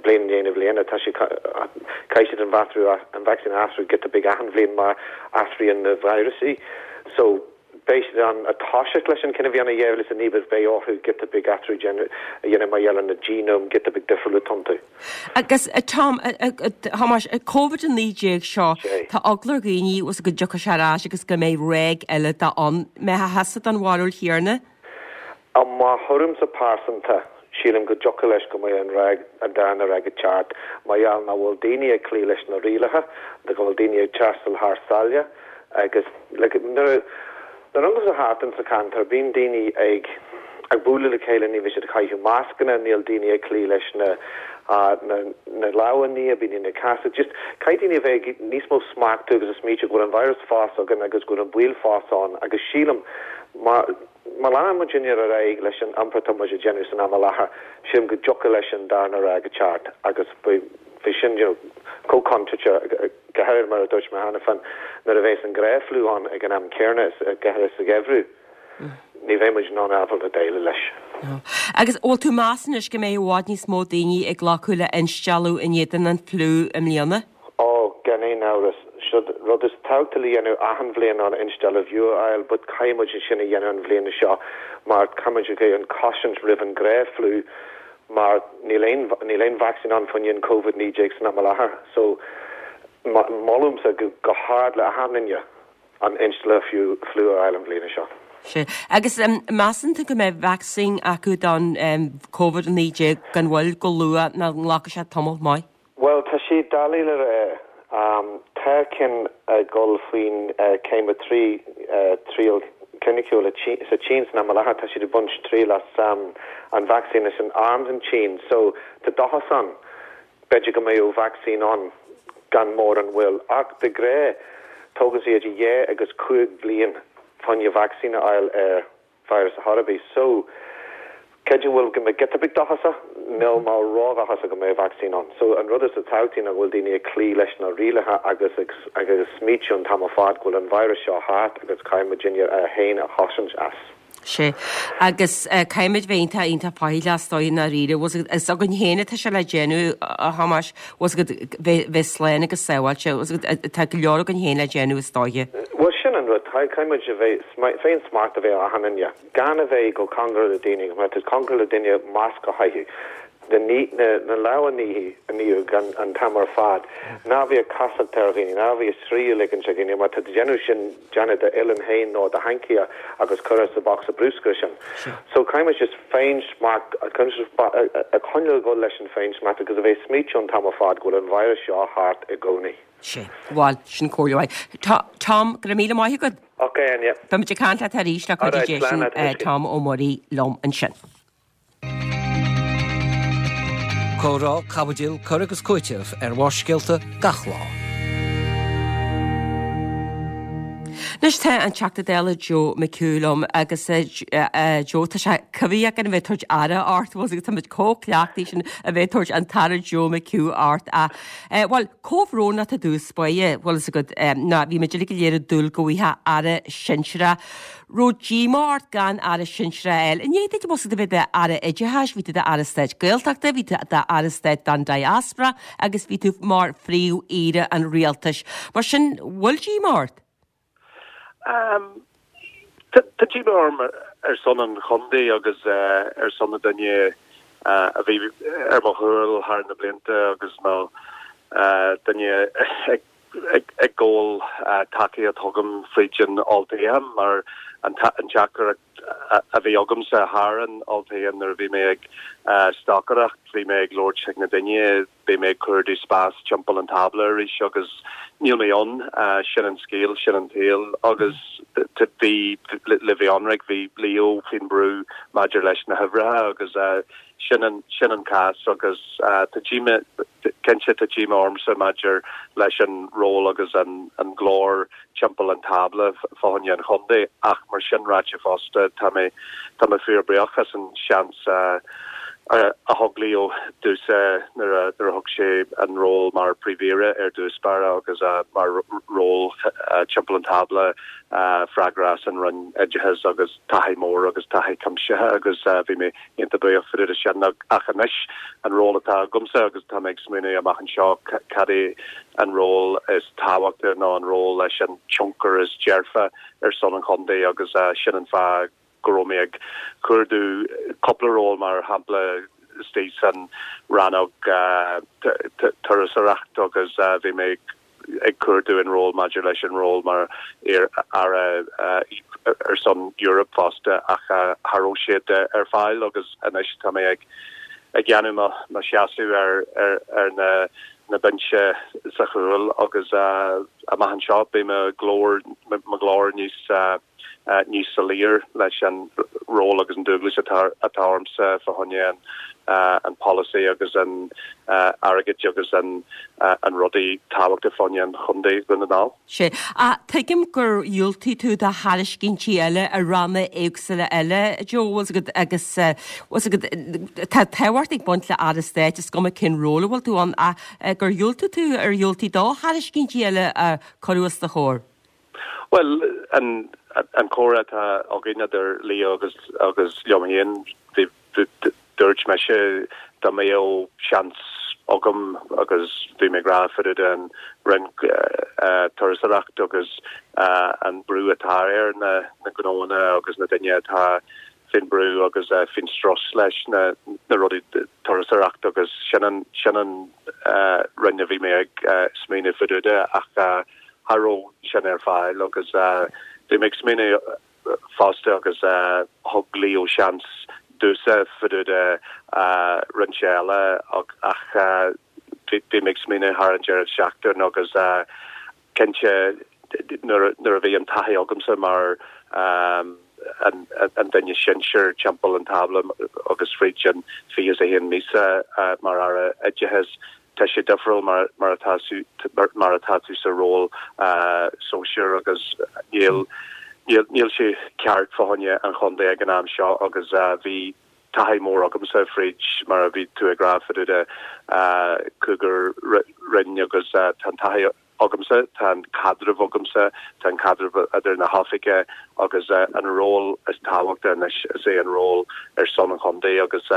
bliain i ndiaidh na bliana tá sé caithfidh siad an bhatú an vaccine athrú giota beag achan bhliain mar athraíonn na víreasaí so beidh siad an ag toiseacht leis an ceann a bhí ann i dhá mhíle is a naoi but beidh orthu giota beag athrú a dhéanamh mar gheall ar na genome giota beag difriúil atá iontu. Agus Tom Thomáis Covid a naoi déag seo tá eagla ar dhaoine os go dtiocfaidh sé ar ais agus go mbeidh ráig eile de ann. Mbeidh thusa den bharúil chéanna? I mo thuairimse pearsanta sílim go dtiocfadh leis go mbeidh an ráig an darna ráig ag teacht mar gheall nach bhfuil daoine ag cloí leis na rialacha, go bhfuil daoine ag taisteal thar sáile agus like, nuair nuair a amharcann tú thart in sa cheantar bíonn daoine ag ag bualadh le chéile ní bhíonn siad ag caitheamh mascanna níl daoine ag cloí leis na na na lámha a ní bíonn daoine ag casadh just caithfidh daoine a bheith níos mó smachtú agus ag smaoitiú go bhfuil an virus fós againn agus go bhfuil an baol fós ann agus sílim má má leanann muid ar aghaidh leis an iompar atá muid ag déanamh san am i láthair sílim go dtiocfadh leis an darna ráig ag teacht agus bhí sin you know, chomh contúirteach go háirithe mar a dúirt mé cheana féin nuair a bheas an gnáth-fhliú ann ag an am céanna go háirithe sa gheimhreadh ní bheidh muid in ann ábalta déileáil leis. Agus bhfuil tú meas anois go mbeidh i bhfad níos mó daoine ag glacadh le instealladh in éadan an fliú i mbliana? Ó gan aon amhras siod rud is tábhachtaí le dhéanamh achan bhliain an instealladh fliú a fháil, but caithfidh muid sin a dhéanamh an bhliain seo mar caithfidh muid an chosaint roimh an gnáth-fhliú mar níl aon níl aon vacsaín ann faoin Covid naoi déag san am i láthair. So molaimse go go hard le achan duine an instealladh fiú fliú a fháil an bhliain seo. Sé. Agus um, measann tú go mbeidh vacsaín acu don um, Covid naoi déag gan mhoill go luath nó nglacfaidh sé tamall maith? Well tá sé doiligh le rá. Um, tá cinn ag dul faoin uh, céim a trí uh, triail cliniciúil sa tSín san am i láthair tá siad ag baint triail as um, an vaccine is an arm san tSín so tá dóchas ann b'fhéidir go mbeidh vaccine ann gan mórán moill ach de ghnáth tógann sé idir dhá agus cúig bliain fá choinne vaccine a fháil ar virus a chor ar bith so creidim bhfuil go mbeidh giota beag dóchasach níl mé ródhóchasach go mbeidh vaccine ann so an rud is tábhachtaí ná go bhfuil daoine ag cloí leis na rialacha agus ag agus smaoitiú an t-am ar fad go bhfuil an virus seo thart agus caithfidh muid a féin a chosaint as. Sé. Agus uh, caithfimid bheith iontach iontach faichilleach is dóigh i ndáiríre is againn féin atá sé le déanamh a Thomáis bheith bheith slán agus sábháilte tá go leor againn féin le déanamh is dóigh. Well sin an rud caithfidh muid a bheith féin smart a bheith achan duine gan a bheith go cóngarach le daoine mar tá cóngarach le duine masc a chaitheamh. Na lámha a ní an t-am ar fad. Ná bí ag casacht ar dhaoine, ná bí ag sraoth ligean ar dhaoine, mar tá tú déanamh sin déanamh d'uillinn féin nó do hancaí agus cur sa bocsa bruscair sin. So caithfidh muid just féinsmacht a choinneáil go leis an féinsmacht agus a bheith smaoitiú an t-am ar fad go bhfuil an virus seo thart i gcónaí. Sé, bhuel, sin comhairle mhaith. Tom, go raibh míle maith agat. Ok, Áine. Beimid ag caint leat arís le cuidiú Dé sin Tom Ó Muirí liom ansin. Comhrá, caibidil, cur agus cúiteamh ar Bharrscéalta gach lá. Anois tá an Teachta Dála Joe McHugh liom agus Joe tá sé coimhthíoch againn a bheith ag tabhairt aire ort, bhfuil agus táimid chomh cleachtaithe sin a bheith ag tabhairt an tAire Joe McHugh ort a bhuel comhbhrón leat i dtús báire, bhfuil fhios agat ná bhí muid uilig go léir ag dúil go bhfaighfeá aire sinsearach. Raibh díomá ort gan aire sinsearach a fháil. I ndiaidh duit bhfuil a bheith d'aire oideachais, bhí tú d'aire stáit Gaeltachta, bhí tú d'aire stáit don diaspora agus bhí tú mar phríomh-aoire an rialtais. Mar sin, bhfuil díomá ort? Tá díomá orm ar son an chontae agus ar son na duine a bhí ar mo chúl thar na blianta agus nó duine ag ag gabháil tacaíocht chugam fríd an olltoghchán mar an teachtaireacht a bhí agamsa thar an olltoghchán nuair a bhí mé ag stocaireacht, bhí mé ag labhairt chuig na daoine, beidh mé ag cuardú spás timpeall an tábla arís agus níl mé ann, sin an scéal, sin an tsaol agus bhí le bheith ionraic, bhí Leo faoin brú maidir leis na huimhreacha agus sin an sin an cás agus tá díomá cinnte tá díomá ormsa maidir leis an ról agus an an glór timpeall an tábla fá choinne an chontae ach mar sin ráite fosta tá mé tá mé fíor buíoch as an seans a a thug Leo domhsa nuair a nuair a thug sé an ról mar Príomh-Aoire ar dtús báire agus mar ról timpeall an tábla freagrach as an Roinn Oideachais agus taithí mór agus taithí cuimsithe agus bhí mé iontach buíoch fá dtaobh de sin ach anois an ról atá agamsa agus tá mé ag smaoineamh amach anseo cad é an ról is tábhachtaí nó an ról leis an tionchar is dearfa ar son an chontae agus sin an fáth go raibh mé ag cuardú cúpla ról mar shampla istigh san rannóg turasóireacht agus bhí mé ag cuardú an ról maidir leis an ról mar aire ar son Europe fosta ach cha raibh siad ar fáil agus anois tá mé ag ag déanamh mo mo sheasamh ar ar ar na na binse sa chúl agus amach anseo beidh mo glór mo ghlór níos níos soiléir leis an ról agus an dualgas atá atá ormsa fá choinne an an polasaí agus an airgead agus an an rudaí tábhachta fá choinne an chontae Dhún na nGall. Sé. Ach tuigim gur dhiúltaigh tú do thairiscintí eile i ranna éagsúla eile, Joe, bhfuil agat agus bhfuil agat tá tábhacht ag baint le Aire Stáit is cuma cén ról a bhfuil tú ann ach gur dhiúltaigh tú ar dhiúltaigh do thairiscintí eile a cuireadh os do chomhair. Bhuel, an an comhrá atá againn idir Leo agus agus liom féin, bhí dúirt mise dá mbeadh seans agam agus bhí mé ag rá fá dtaobh den Roinn Turasóireacht agus an brú atá ar na na gnóanna agus na duine atá faoin brú agus faoin strus leis na na rudaí turasóireacht agus sin an sin an roinn a bhí mé ag smaoineamh fá dtaobh de ach cha raibh sin ar fáil agus bhí mé ag smaoineamh fosta agus thug Leo seans domhsa fá dtaobh de roinnte eile ach bhí mé ag smaoineamh thar an deireadh seachtaine agus cinnte nuair a bhí an taithí agamsa mar an duine sinsir timpeall an tábla agus fríd an fiche is a haon míosa mar Aire Oideachais tá sé difriúil mar mar atá mar atá tú sa ról sóisir agus níl níl níl sé ceart fá choinne an chontae ag an am seo agus bhí taithí mór agamsa fríd mar a bhí tú ag rá fá dtaobh de cúigear roinn agus tá an taithí agamsa, tá an caidreamh agamsa, tá an caidreamh idir na hoifigigh agus an ról is tábhachtaí anois is é an ról ar son an chontae agus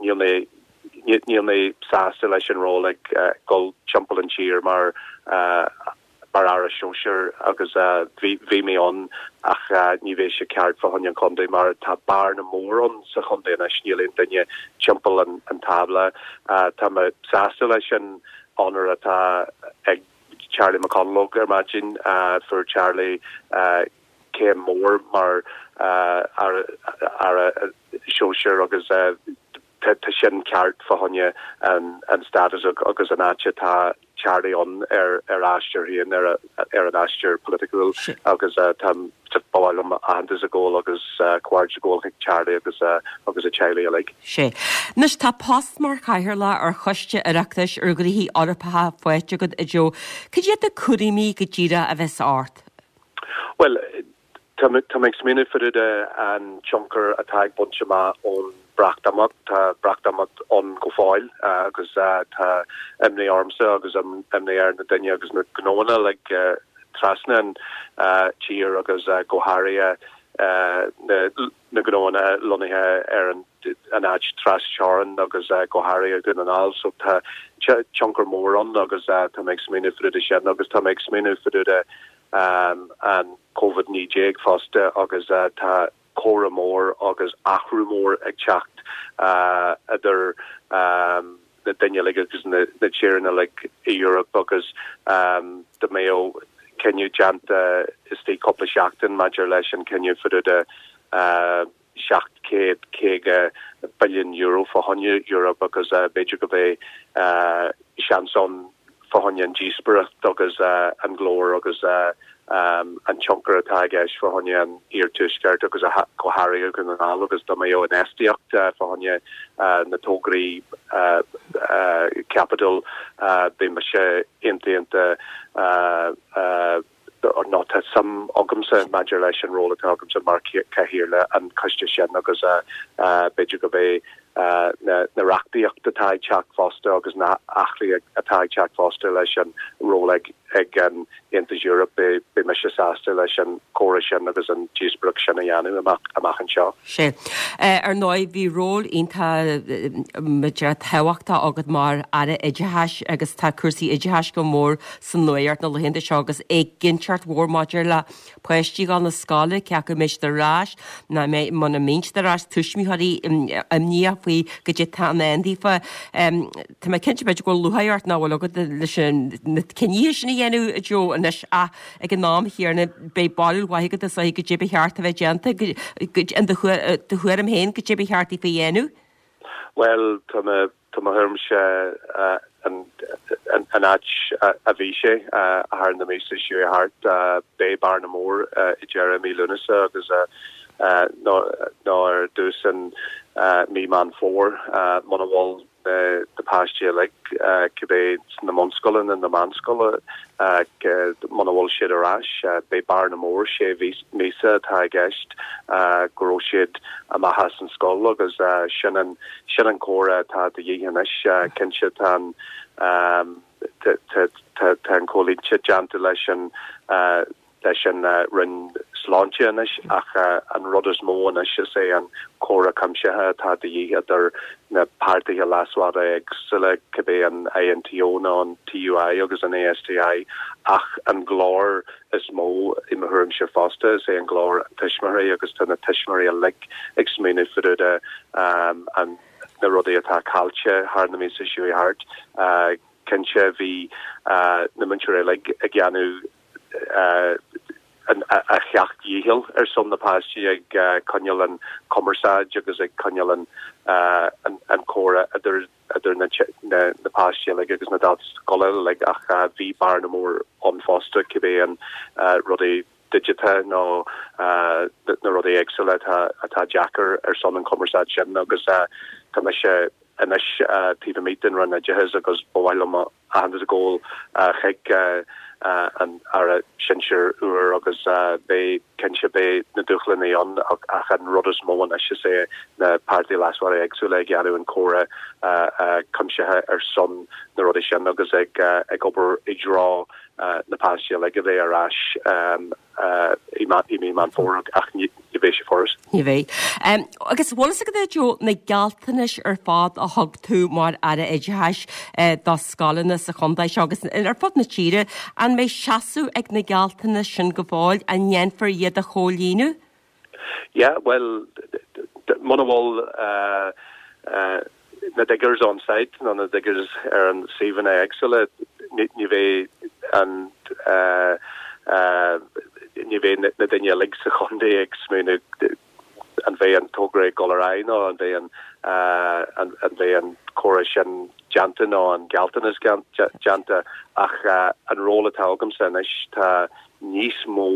níl mé níl mé sásta leis an ról ag dul timpeall an tír mar mar aire sóisir agus bhí bhí mé ann ach ní bheidh sé ceart fá choinne an chontae mar tá bearna mór ann sa chontae anois níl aon duine timpeall an an tábla. Tá mé sásta leis an onóir atá ag Charlie McConalogue ar maidin fuair Charlie céim mór mar aire sóisir agus tá sin ceart fá choinne an status agus an áit atá Charlie ann ar ar aistear féin ar ar an aistear polaitiúil agus tá ba mhaith liom aitheantas a ghabháil agus comhghairdeas a ghabháil chuig Charlie agus agus a teaghlaigh uilig. Sé. Anois tá post mar chathaoirleach ar Choiste Oireachtais ar Ghnóthaí Eorpacha faighte agat a Joe. Cad iad na cúraimí go díreach a bheas ort? Well, tá mé ag smaoineamh fá dtaobh de an tionchar atá ag baint amach ón Breatimeacht. Tá Breatimeacht ann go fóill agus tá imní ormsa agus imní ar na daoine agus na gnóanna uilig trasna an tír agus go háirithe na gnóanna lonnaithe ar an an áit trasteorann agus go háirithe Dún na nGall. So tá tionchar mór ann agus tá mé ag smaoineamh fá dtaobh de sin agus tá mé ag smaoineamh fá dtaobh de an Covid naoi déag fosta agus tá comhrá mór agus athrú mór ag teacht idir na daoine uilig agus na tíreanna uilig i Europe agus dá mbeadh cinneadh déanta istigh cúpla seachtain maidir leis an cinneadh fá dtaobh de seacht céad caoga billiún euro fá choinne Europe agus b'fhéidir go mbeidh seans ann fá choinne an díospóireacht agus an glór agus an tionchar atá i gceist fá choinne an iarthuaisceart agus go háirithe Dhún na nGall agus dá mbeadh infheistíocht fá choinne na tograí caipitil beidh mise iontach iontach nó tá suim agamsa maidir leis an ról atá agamsa mar chathaoirleach an choiste sin agus b'fhéidir go mbeidh na na reachtaíocht atá ag teacht fosta agus na athruithe atá ag teacht fosta leis an ról ag ag an Aontas Eoraip beidh beidh mise sásta leis an comhrá sin agus an díospóireacht sin a dhéanamh amach amach anseo. Sé. Ar ndóigh bhí ról iontach tábhachtach agat mar Aire Oideachais agus tá cúrsaí oideachais go mór san nuacht na laethanta seo agus éiginnteacht mhór maidir le páistí ag dul na scoile, cé acu an mbeidh siad ar ais nó muna mbeidh siad ar ais, tuismitheoirí imníoch faoi goidé atá i ndán daofa. Tá mé cinnte b'fhéidir go bhfuil lúcháir ort nach bhfuil agat leis na cinntí sin a dhéanamh a Joe anois ach ag an am chéanna beidh barúil mhaith agat is dóigh goidé ba cheart a bheith déanta in do thuairim féin goidé ba cheart daofa a dhéanamh. Bhuel tá mé tá mo thuairimse an an áit a bhí sé thar na míosa seo thart beidh bearna mór i deireadh mí Lúnasa agus nó nó ar dtús an mí Meán Fómhair muna bhfuil na páistí uilig cibé sna bunscoileanna na meánscoile muna bhfuil siad ar ais beidh bearna mór sé míosa atá i gceist go raibh siad amach as an scoil agus sin an sin an comhrá atá de dhíth anois cinnte tá an tá an comhlínte déanta leis an leis an Roinn Sláinte anois ach an rud is mó anois is é an comhrá cuimsithe atá de dhíth idir na páirtithe leasmhara éagsúla cibé an INTO nó an TUI agus an ASTI ach an glór is mó i mo thuairimse fosta is é an glór an tuismitheoirí agus tá na tuismitheoirí uilig ag smaoineamh fá dtaobh de an na rudaí atá caillte thar na míosa seo thart. Cinnte bhí na múinteoirí uilig ag déanamh a seacht ndícheall ar son na páistí ag coinneáil an cumarsáid agus ag coinneáil an an comhrá idir idir na na páistí uilig agus na daltaí scoile uilig ach bhí bearna mór ann fosta cibé an rudaí digiteacha nó na rudaí éagsúla atá atá deacair ar son an cumarsáid sin agus tá mise anois taobh amuigh den Roinn Oideachais agus ba mhaith liom aitheantas a ghabháil chuig an Aire Sinsir úr agus beidh cinnte beidh na dúshláin ann ach an rud is mó anois is é na páirtithe leasmhara éagsúla ag déanamh an comhrá cuimsithe ar son na rudaí sin agus ag ag obair i dtreo na páistí uilig a bheith ar ais i mí Meán Fómhair ach ní bheidh sé furast. Ní bheidh. Agus bhfuil fhios agat Joe na gealltanais ar fad a thug tú mar Aire Oideachais do scoileanna sa chontae seo agus ar fud na tíre, an mbeidh seasamh ag na gealltanais sin go fóill, an ndéanfar iad a chomhlíonadh? Yeah, well, muna bhfuil uh, uh, na diggers on site nó na diggers ar an suíomhanna éagsúla ní bheidh an uh, uh, ní bheidh na daoine uilig sa chontae ag smaoineamh an bheidh an togra ag dul ar aghaidh nó an bheidh an uh, an, an bheidh an córas sin déanta nó an gealltanas déanta ach uh, an ról atá agamsa anois tá níos mó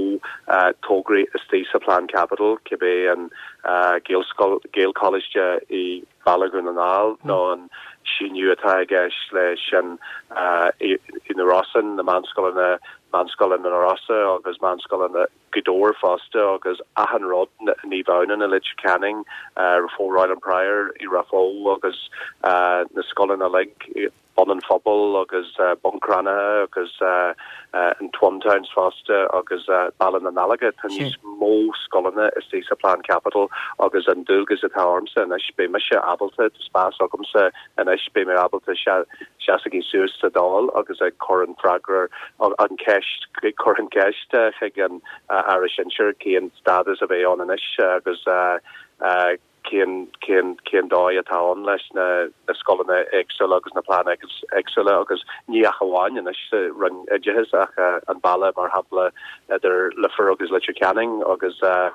uh, tograí istigh sa plean caipitil cibé an uh, Gaelcholáiste i Baile Dhún na nGall nó an síniú atá i gceist leis an uh, i, i na Rosann na meánscoileanna meánscoileanna na Rosa agus meánscoileanna Gaoth Dobhair fosta agus achan rud Naomh Adhamhnáin i Leitir Ceanainn uh, Raphoe Royal and Prior i Raphoe agus uh, na scoileanna uilig Bun an Phobail agus uh, Bun Cranncha agus uh, uh, an Twin Towns fosta agus uh, Baile na nAlga tá níos mó scoileanna istigh sa plean caipitil agus an dualgas atá ormsa anois beidh mise ábalta spás agamsa anois beidh mé ábalta seasamh suas sa Dáil agus ag cur an freagra an ceist cur an ceist chuig an Aire Sinsear cén stádas a bheidh ann anois agus uh, uh, cén cén cén dóigh atá ann leis na na scoileanna éagsúla agus na pleananna éagsúla agus ní ach amháin anois sa Roinn Oideachais ach uh, an baile mar shampla idir Leifear agus Leitir Ceanainn agus uh,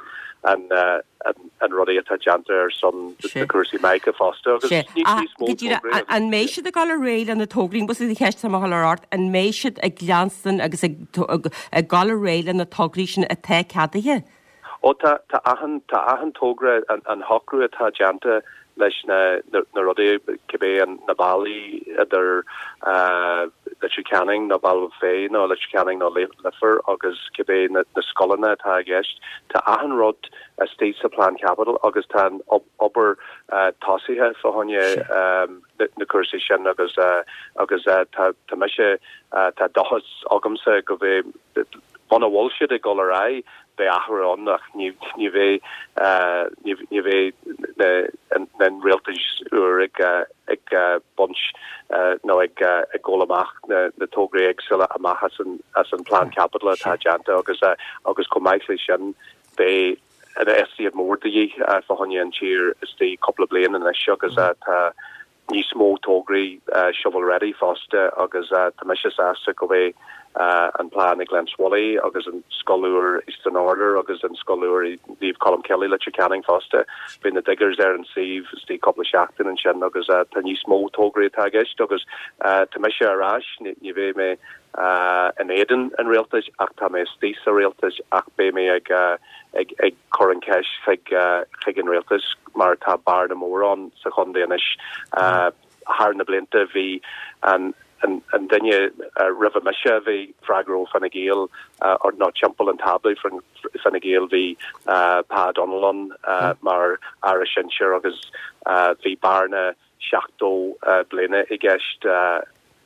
an uh, an, an rudaí atá déanta ar son na cúrsaí mica fosta agus An mbeidh siad ag dul ar aghaidh na tograí bus a cheist ar art an mbeidh siad ag leanstan agus ag ag dul ar aghaidh na tograí sin atá ceadaithe? Ó tá tá achan tá achan togra an, an shocrú atá déanta leis na na, na rudaí cibé an na ballaí idir uh, Leitir Ceanainn nó Baile Féith nó Leitir Ceanainn nó Leifear agus cibé na, na scoileanna atá i gceist tá achan rud istigh sa plean caipitil agus tá an obair uh, tosaithe fá choinne um, na, na cúrsaí sin agus uh, agus uh, tá tá mise uh, tá dóchas agamsa go bheith muna bhfuil siad ag dul ar aghaidh beidh athrú ann ach ní ní bheidh ní bheidh an rialtas úr ag ag baint nó ag ag gabháil amach na na tograí éagsúla amach as an as an plean caipitil atá déanta agus agus chomh maith leis sin beidh an infheistíocht mór de dhíth fá choinne an tír istigh cúpla bliain anois agus tá níos mó tograí uh, shovel ready fosta agus uh, tá mise sásta go bheidh uh, an plean ag Glenswilly agus an scoil úr Eastern Order agus an scoil úr Naomh Colmcille Leitir Ceanainn fosta. Bhí na diggers ar an suíomh istigh cúpla seachtain ansin agus uh, tá níos mó tograí atá i gceist agus uh, tá mise ar ais ní bheidh mé uh, in éadan an rialtais ach tá mé istigh sa rialtas ach beidh mé ag uh, ag ag cur an ceist chuig uh, chuig an rialtas mar tá bearna mór ann sa chontae anois uh, thar na blianta bhí an an an duine uh, roimh mise bhí freagrach ó Fine Gael uh, or ná timpeall an tábla Fine Gael bhí uh, Pa Donnellan uh, mar aire sinsir agus uh, bhí bearna seachtó uh, bliana i gceist uh,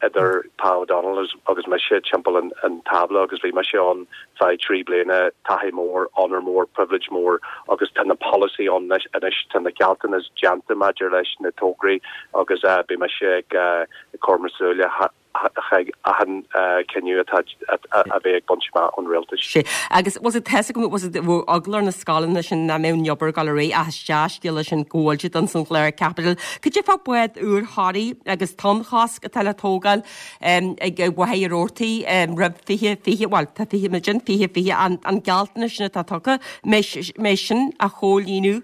idir Pa O'Donnell agus mise timpeall an, an tábla agus bhí mise ann feadh trí bliana taithí mór honor mór privilege mór agus tá na policy ann anois tá na gealltanas déanta maidir leis na tograí agus uh, bhí mise ag uh, cur mo shúile achan cinneadh atá a bheith ag baint amach ón rialtas. Sé agus was it test was it eagla ar na scoileanna sin nach mbeadh an obair ag dul ar aghaidh ach dea-scéala sin go bhfuil siad an chlár caipitil. Cad é fá bád úr Thoraí agus tonnchosc atá le tógáil ag Mhachaire Rabhartaigh roimh fiche fiche well tá fiche muid fiche fiche an an gealltanas sin atá tugtha mbeidh sin á chomhlíonadh.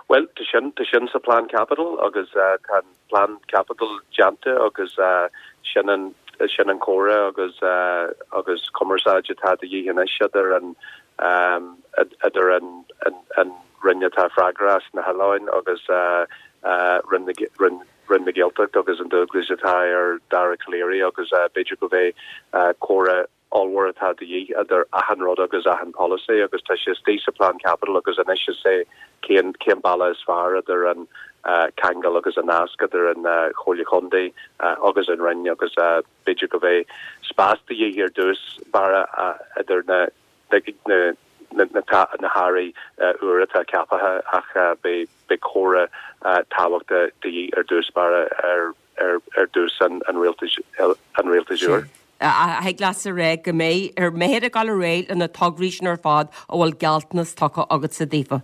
Well tá sin tá sin sa plean caipitil agus uh, tá plean caipitil déanta agus uh, sin an sin an comhrá agus uh, agus cumarsáid atá de dhíth anois idir an um, idir an an, an Roinn atá freagrach as na hoileáin agus uh, uh, Roinn Roinn Roinn na Gaeltachta agus an dualgas atá ar Dara Calleary agus uh, b'fhéidir go bheidh uh, comhrá ollmhór atá de dhíth idir achan rud agus achan policy agus tá sé istigh sa plean caipitil agus anois is é cén cén bealach is fearr idir an uh, ceangal agus an nasc idir an uh, Chomhairle Contae uh, agus an Roinn agus uh, b'fhéidir go bheidh spás de dhíth ar dtús bara uh, idir na na na na hairí úr atá ceaptha ach beidh beidh comhrá tábhachtach de dhíth ar dtús báire ar ar ar dtús an an rialtais an rialtais úr. Thig leat a rá go mbeidh ar mbeifear ag dul ar aghaidh le na tograí sin ar fad a bhfuil gealltanas tugtha agatsa daofa.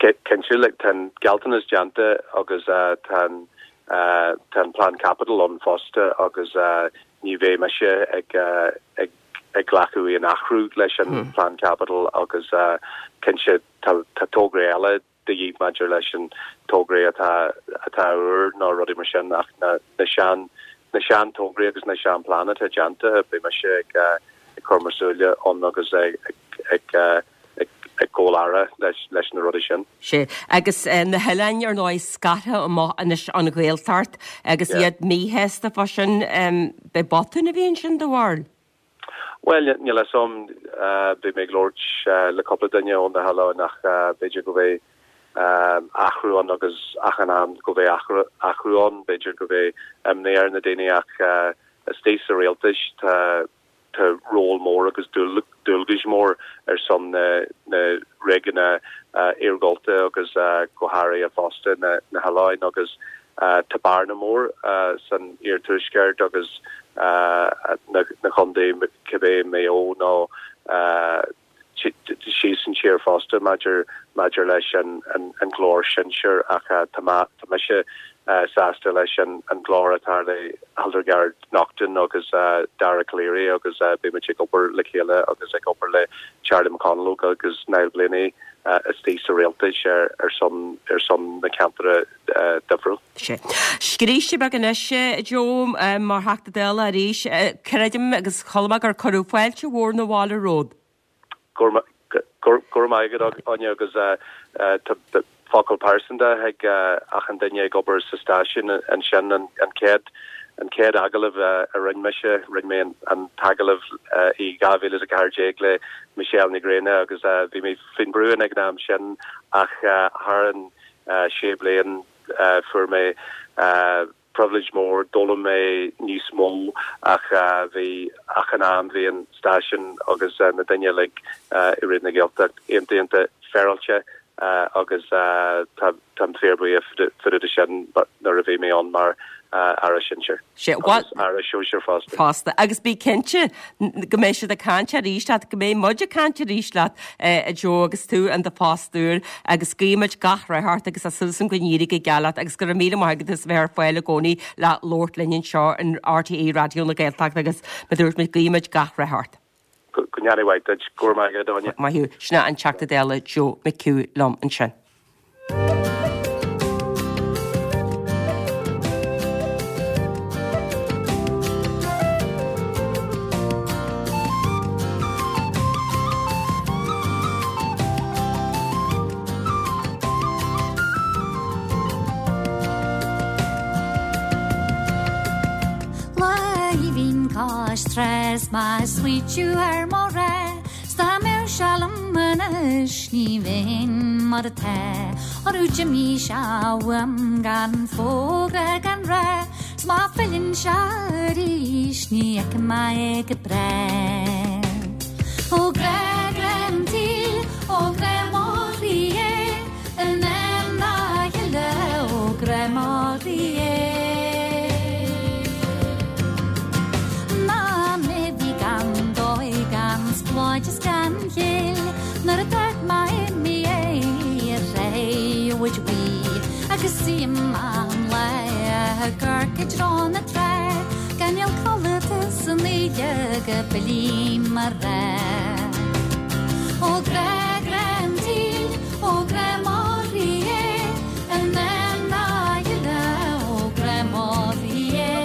Cinnte like tá an gealltanas déanta agus tá tá an plean caipitil ann fosta agus ní bheidh mise ag ag ag glacadh aon athrú leis an hmm. plean caipitil agus cinnte tá tograí eile de dhíth maidir leis an tograí atá atá úr nó rudaí mar sin ach na na sean na sean tograí agus na sean plean atá déanta beidh mise ag ag cur mo súile ann agus ag ag ag ag gabháil leis leis na rudaí sin. Sé agus eh, na hoileáin ar ndóigh scartha amach anois ón Ghaeltacht agus iad míshásta fá sin be botún a bhí ansin do bharúil. Well níl a fhios agam bhí mé ag labhairt le cúpla duine ó na hoileáin ach b'fhéidir go bhfuil athrú ann agus achan am go bhfuil athrú ann b'fhéidir go bhfuil imní ar na daoine ach istigh sa rialtas tá tá ról mór agus dualgas mór ar son na na réigiúin iargúlta agus go háirithe fosta na na hoileáin agus tá bearna mór san iarthuaisceart agus na na contaetha cibé Maigh Eo nó síos an tír fosta maidir maidir leis an an an glór sinsir ach tá mise sásta leis an an glór atá le Hildegarde Naughton agus Dara Calleary agus beimid ag obair le chéile agus ag obair le Charlie McConalogue agus Niall Blaney istigh sa rialtas ar ar son ar son na ceantar difriúil. Sé. Scríste beag anois Joe mar Theachta Dála arís creidim agus chuala mé gur cuireadh fáilte mhór na bhaile romhat. Go maith Áine agus focal pearsanta ag achan duine ag obair sa stáisiún ansin an chéad an chéad agallamh a rinne mise rinne mé an t-agallamh i dhá mhíle a ceathair déag le Michelle Ní Ghrianna agus bhí mé faoin brú ag an am sin ach thar an sé bliain fuair mé privilege mór d'fhoghlaim mé níos mó ach bhí achan am bhí an stáisiún agus na daoine uilig i Raidió na Gaeltachta iontach iontach féaráilte agus táim fíorbhuíoch fá sin nuair a bhí mé ann mar aire sinsir. Sé aire sóisir fosta. Fosta agus bí cinnte go mbeidh siad ag caint arís leat, go mbeidh muid ag caint arís leat a Joe agus tú in do phost úr agus guímid gach rath ort agus tá súil agam go n-éireoidh go geal leat agus go raibh míle maith agat as bheith ar fáil i gcónaí le labhairt linn anseo in RTÉ Raidió na Gaeltachta agus mar a dúirt mé guímid gach rath ort. Go ndéana mhaith duit go raibh maith agat Áine. Maith thú sin an Teachta Dála Joe McHugh liom ansin. Stress má sweet ar mo ré Sta mé sealam anois ní bheinn mar atá Orú mí sehm gan fógra gan ré 'S má fhilleann sé arís ní fheicfidh mé é go bráth. Ó grá grá an tsaoil ó grá mo chroí é in am dá chéile ó grá mo chroí é. Ná mé bhí gan dóigh gan spláid is gan chéill nuair a dúirt mé imigh é ar ré bhuí agus suím an lá ag amharc i dtreo na trá gan níl codlata san oíche go bhfillfidh mo ghrá. Ó grá grá an tsaoil ó grá mo chroí é in am dá chéile ó grá mo chroí é.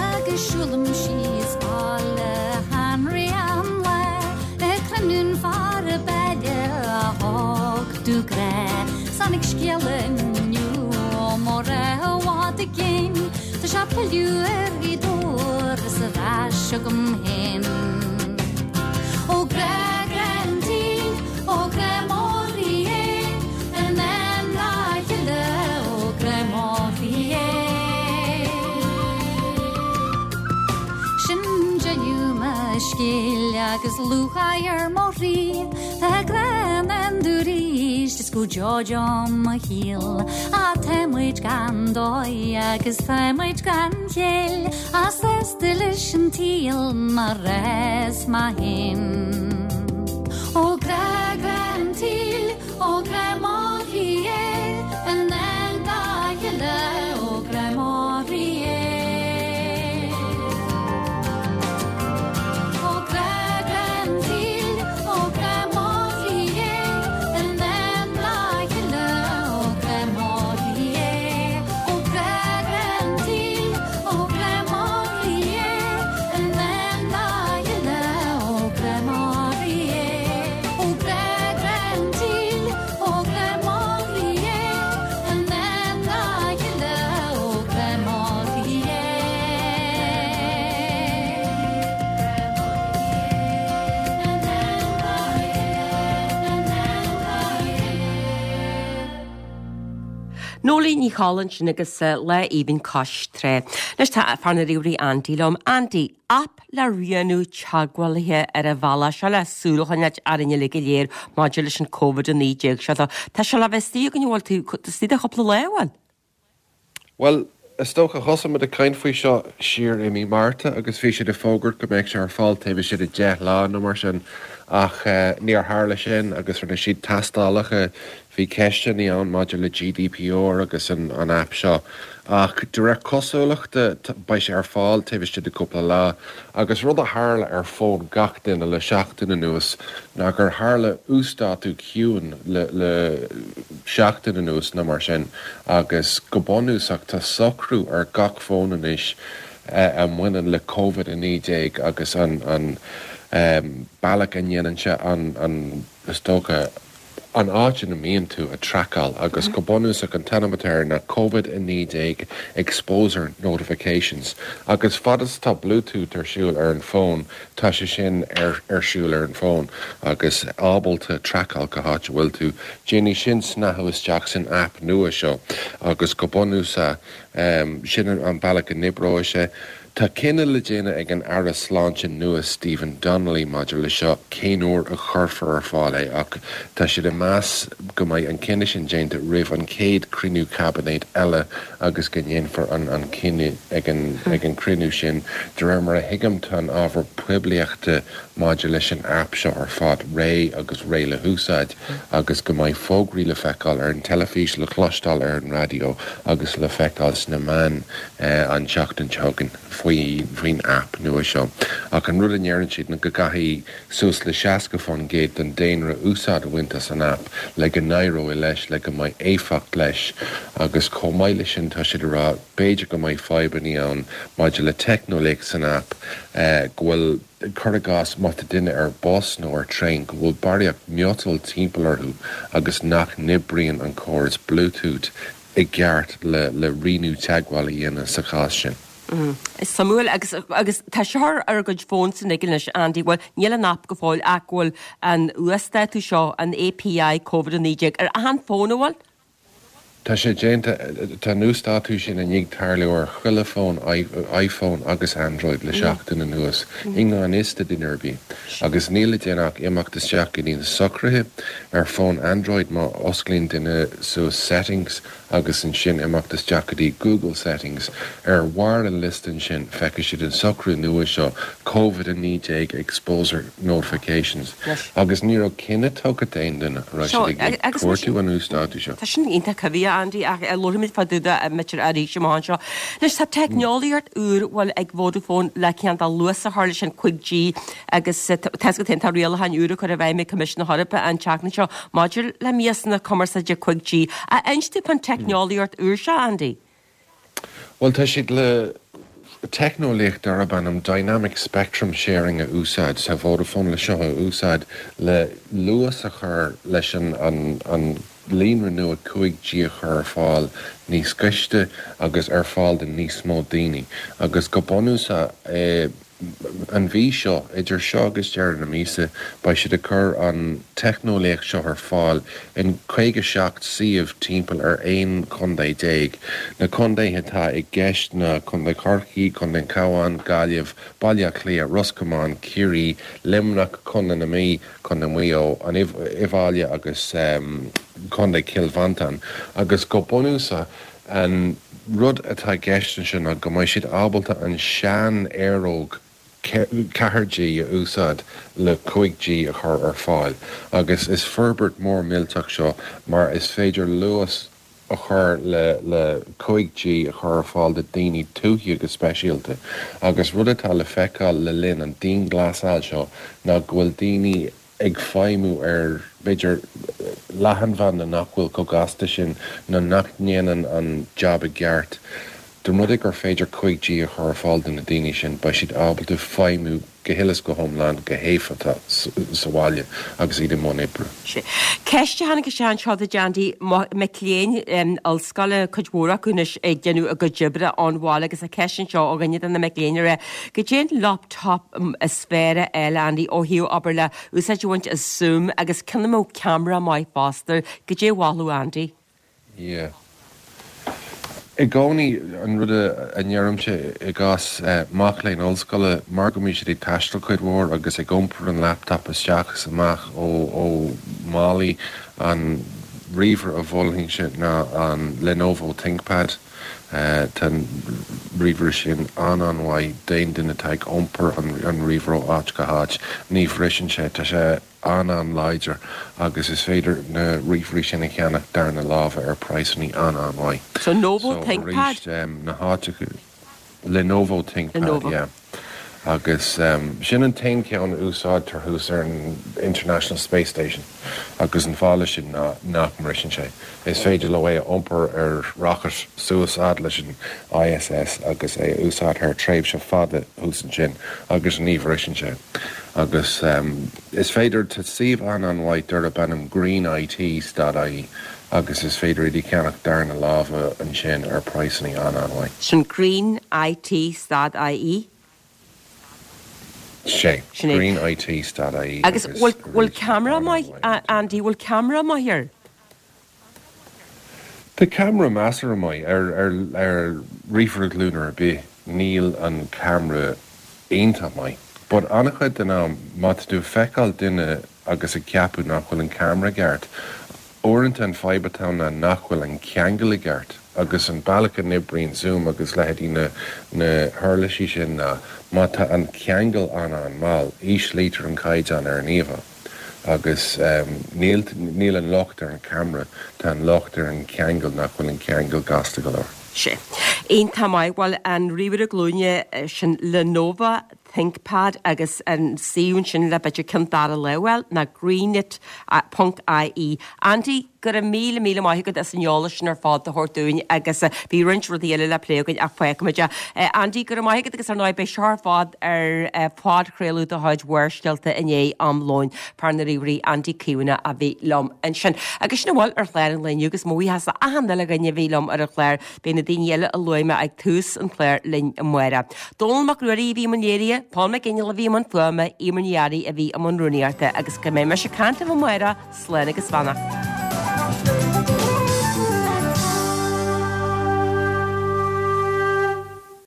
Agus siúlaim síos baile Henry an lá ag cruinniú fear an bhaile a thug domh grá. Tháinig scéala inniu ó mo ghrá i bhfad i gcéin Tá sé pilleadh ar Ghaoth Dobhair is ar ais agam féin. Ó grá grá an tsaoil ó grá mo chroí é in am dá chéile ó grá mo chroí é. Sin deireadh agus lúcháir ar mo chroí Tá grá ann domh arís is go deo deo mo shaol Á tá muid gan dóigh agus tá muid gan chéill Á sásta leis an tsaol mar is mé féin Ó grá grá an tsaoil ó grá mo chroí é in ndán dá chéile ó grá mo chroí é. Ó grá grá an tsaoil ó grá mo chroí é in ndán dá chéile ó grá mo chroí é. Ó grá grá an tsaoil ó grá mo chroí é in ndán dá chéile ó grá mo chroí é. Ó grá grá an tsaoil ó grá mo chroí é in ndán dá chéile ó grá mo chroí é. Noeleen Ní Cholla ansin agus Lá Aoibhinn Cois Trá. Anois tá fear na ríomhairí Andy liom. Andy, aip le rianú teagmhálaithe ar an bhealach seo le súil a choinneáil orainn uilig go léir maidir leis an Covid a naoi déag seo. Tá sé le bheith istigh againn, bhfuil tú istigh de chúpla lá, bhfuil? Bhuel, is dócha thosaigh muid ag caint faoi seo siar i mí Márta agus bhí siad ag fógairt go mbeadh sé ar fáil taobh istigh de deich lá nó mar sin ach níor tharla sin agus rinne siad tástálacha, bhí ceisteanna ann maidir le GDPR agus an an aip seo ach de réir cosúlachta beidh sé ar fáil taobh istigh de cúpla lá agus rud a tharla ar fón gach duine le seachtain anuas ná gur tharla uasdátú ciúin le le seachtain anuas nó mar sin agus go bunúsach tá socrú ar gach fón anois a mbaineann le Covid a naoi déag agus an an bealach a ndéanann sé an an is dócha an áit ina mbíonn tú a traiceáil agus go bunúsach an t-ainm atá air ná Covid a naoi déag Exposure Notifications agus fad is atá Bluetooth ar siúl ar an bhfón tá sé sin ar ar siúl ar an bhfón agus ábalta traiceáil cá háit a bhfuil tú. Déanfaidh sin snáthú isteach san aip nua seo agus go bunúsach sin an bealach a n-oibreoidh sé. Tá cinneadh le déanamh ag an Aire Sláinte nua Stephen Donnelly maidir le seo cén uair a chuirfear ar fáil é ach tá siad ag meas go mbeidh an cinneadh sin déanta roimh an chéad cruinniú caibinéid eile agus go ndéanfar an an cinneadh ag an ag an cruinniú sin. De réir mar a thuigim tá an ábhar poiblíochta maidir leis an aip seo ar fad réidh agus réidh le húsáid agus go mbeidh fógraí le feiceáil ar an teilifís, le cloisteáil ar an raidió agus le feiceáil sna meáin an tseachtain seo chugainn faoi faoin aip nua seo. Ach an rud a ndeireann siad ná go gcaithfidh suas le seasca faoin gcéad den daonra úsáid a bhaint as an aip le go n-éireoidh leis, le go mbeidh éifeacht leis agus chomh maith leis sin tá siad ag rá b'fhéidir go mbeidh fadhbanna ann maidir le teicneolaíocht san aip go bhfuil cuir i gcás má tá duine ar bus nó ar traein go bhfuil barraíocht miotail timpeall orthu agus nach n-oibríonn an córas Bluetooth i gceart le le rianú teagmháil a dhéanamh sa chás sin. Is suimiúil agus agus tá seo ar ár gcuid fóns anois Andy, bhuel níl an aip go fóill ach go bhfuil an uasdátú seo, an API Covid a naoi déag, ar achan fón an bhfuil? Tá sé déanta, tá an uasdátú sin i ndiaidh tarlú ar chuile fón iPhone agus Android le seachtain anuas, i ngan fhios do duine ar bith. Agus níl le déanamh ach imeacht isteach go dtí na socruithe ar fón Android má osclaíonn duine suas Settings agus ansin imeacht isteach go dtí Google Settings. Ar bharr an liosta ansin, feicfidh siad an socrú nua seo, Covid a naoi déag Exposure Notifications. Agus ní raibh cinneadh tugtha d'aon duine a raibh siad ag cuartú an uasdátú seo. Tá sin iontach cuimhneach, Andy, ach labharfaimid fá dtaobh de b'fhéidir arís amach anseo. Anois, tá teicneolaíocht úr, bhuel, ag Vodafone le cineál de luas a chur leis an cúig G agus tá a fhios agat féin, tá rialacháin úra curtha i bhfeidhm ag Coimisiún na hEorpa an tseachtain seo maidir le miasanna cumarsáide cúig G. Inis dúinn fán teicneolaíocht úr seo, Andy? Bhuel, tá siad le teicneolaíocht darb ainm Dynamic Spectrum Sharing a úsáid. Tá Vodafone le seo a úsáid le luas a chur leis an an líonra nua cúig G a chur ar fáil níos gaiste agus ar fáil do níos mó daoine. Agus go bunúsach, an mhí seo, idir seo agus deireadh na míosa, beidh siad ag cur an teicneolaíocht seo ar fáil in caoga seacht suíomh timpeall ar aon chontae déag. Na contaetha atá i gceist ná Contae Chorcaí, Contae an Chabháin, Gaillimh, Baile Átha Cliath, Ros Comáin, Ciarraí, Luimneach, Contae na Mí, Contae Mhaigh Eo, an Uíbh Fhailí agus Contae Chill Mhantáin. Agus go bunúsach, an rud atá i gceist ansin ná go mbeidh siad ábalta an sean-aeróg ceathair G a úsáid le cúig G a chur ar fáil agus is forbairt mór millteach seo mar is féidir luas a chur le le cúig G a chur ar fáil do daoine tuaithe go speisialta agus rud atá le feiceáil le linn an dianghlasáil seo ná go bhfuil daoine ag feidhmiú ar, b'fhéidir, leathanbhanda nach bhfuil chomh gasta sin nó nach ndéanann an jab i gceart. Dá mba rud é gur féidir cúig G a chur ar fáil do na daoine sin, beidh siad ábalta feidhmiú go huile is go hiomlán go héifeachtach sa bhaile agus iad i mbun oibre. Ceist a tháinig isteach anseo duit Andy, mic léinn ollscoile, cuid mhór acu anois ag déanamh a gcuid oibre ón bhaile agus tá ceist anseo ó dhuine de na mic léinn ag rá, goidé an laptop is fearr a fháil Andy ó thaobh obair le úsáid a bhaint as Zoom agus ceann a mbeadh ceamara maith fosta, goidé a mholfadh Andy? Yeah. I gcónaí, an rud a ndeirimse i gcás mac léinn ollscoile, mar go mbíonn siad ag taisteal cuid mhór agus ag iompar an laptop isteach is amach ó ó málaí, an ríomhaire a mholfainnse ná an Lenovo ThinkPad. Tá an ríomhaire sin an-an-mhaith d'aon duine atá ag iompar an ríomhaire ó áit go háit. Ní bhriseann sé, tá sé an-an-láidir agus is féidir na ríomhairí sin a cheannach darna láimhe ar praghsanna an-an-mhaith. So Novo ThinkPad? So arís, na háiteacha, Lenovo ThinkPad, yeah. Agus sin an t-aon cheann a úsáidtear thuas ar an International Space Station agus an fáth leis sin ná nach mbriseann sé. Is féidir leo é a iompar ar rocket suas fhad leis an ISS agus é a úsáid thar tréimhse fada thuas ansin agus ní bhriseann sé. Agus is féidir, tá suíomh an-an-mhaith darb ainm greenIT dot ie agus is féidir iad a cheannach darna láimhe ansin ar praghsanna an-an-mhaith. Sin greenIT dot ie? Sé, Sin é. greenIT dot ie Agus agus bhfuil bhfuil arís ceamara maith, an-an-mhaith. Andy, bhfuil ceamara maith air? Tá ceamara measartha maith ar ar ar ríomhaire glúine ar bith, níl an ceamara iontach maith. But an-chuid den am, má tá tú ag feiceáil duine agus ag ceapadh nach bhfuil an ceamara i gceart, uaireanta an fadhb atá ann ná nach bhfuil an ceangal i gceart. Agus an bealach a n-oibríonn Zoom agus leithéidí na na huirlisí sin ná má tá an ceangal an-an-mhall, íslítear an caighdeán ar an íomhá. Agus níl níl an locht ar an cheamara, tá an locht ar an cheangal nach bhfuil an ceangal gasta go leor. Sé. Iontach maith. Bhuel, an ríomhaire glúine sin Lenovo ThinkPad agus an suíomh ansin le b'fhéidir ceann dara láimhe a fháil ná greenit ponc ie. Andy, go raibh míle míle maith agat as an eolas sin ar fad a thabhairt dúinn agus bhí roinnt rudaí eile le plé againn ach fágfaimid é. Andy, go raibh maith agat agus ar ndóigh beidh seo ar fad ar phodchraoladh de chuid Bharrscéalta i ndiaidh am lóin. Fear na ríomhairí Andy Caomhánach a bhí liom ansin. Agus sin a bhfuil ar chlár an lae inniu agus mo bhuíochas le achan uile dhuine a bhí liom ar an chlár. Beidh na daoine eile a luaigh mé ag tús an chláir linn amárach. Dónall Mac Ruairí a bhí i mbun léirithe, Paul McGinley a bhí i mbun fuaime, Eimear Ní Fhearraigh a bhí i mbun rúnaíochta agus go mbeidh mise ag caint libh amárach, slán agus beannacht.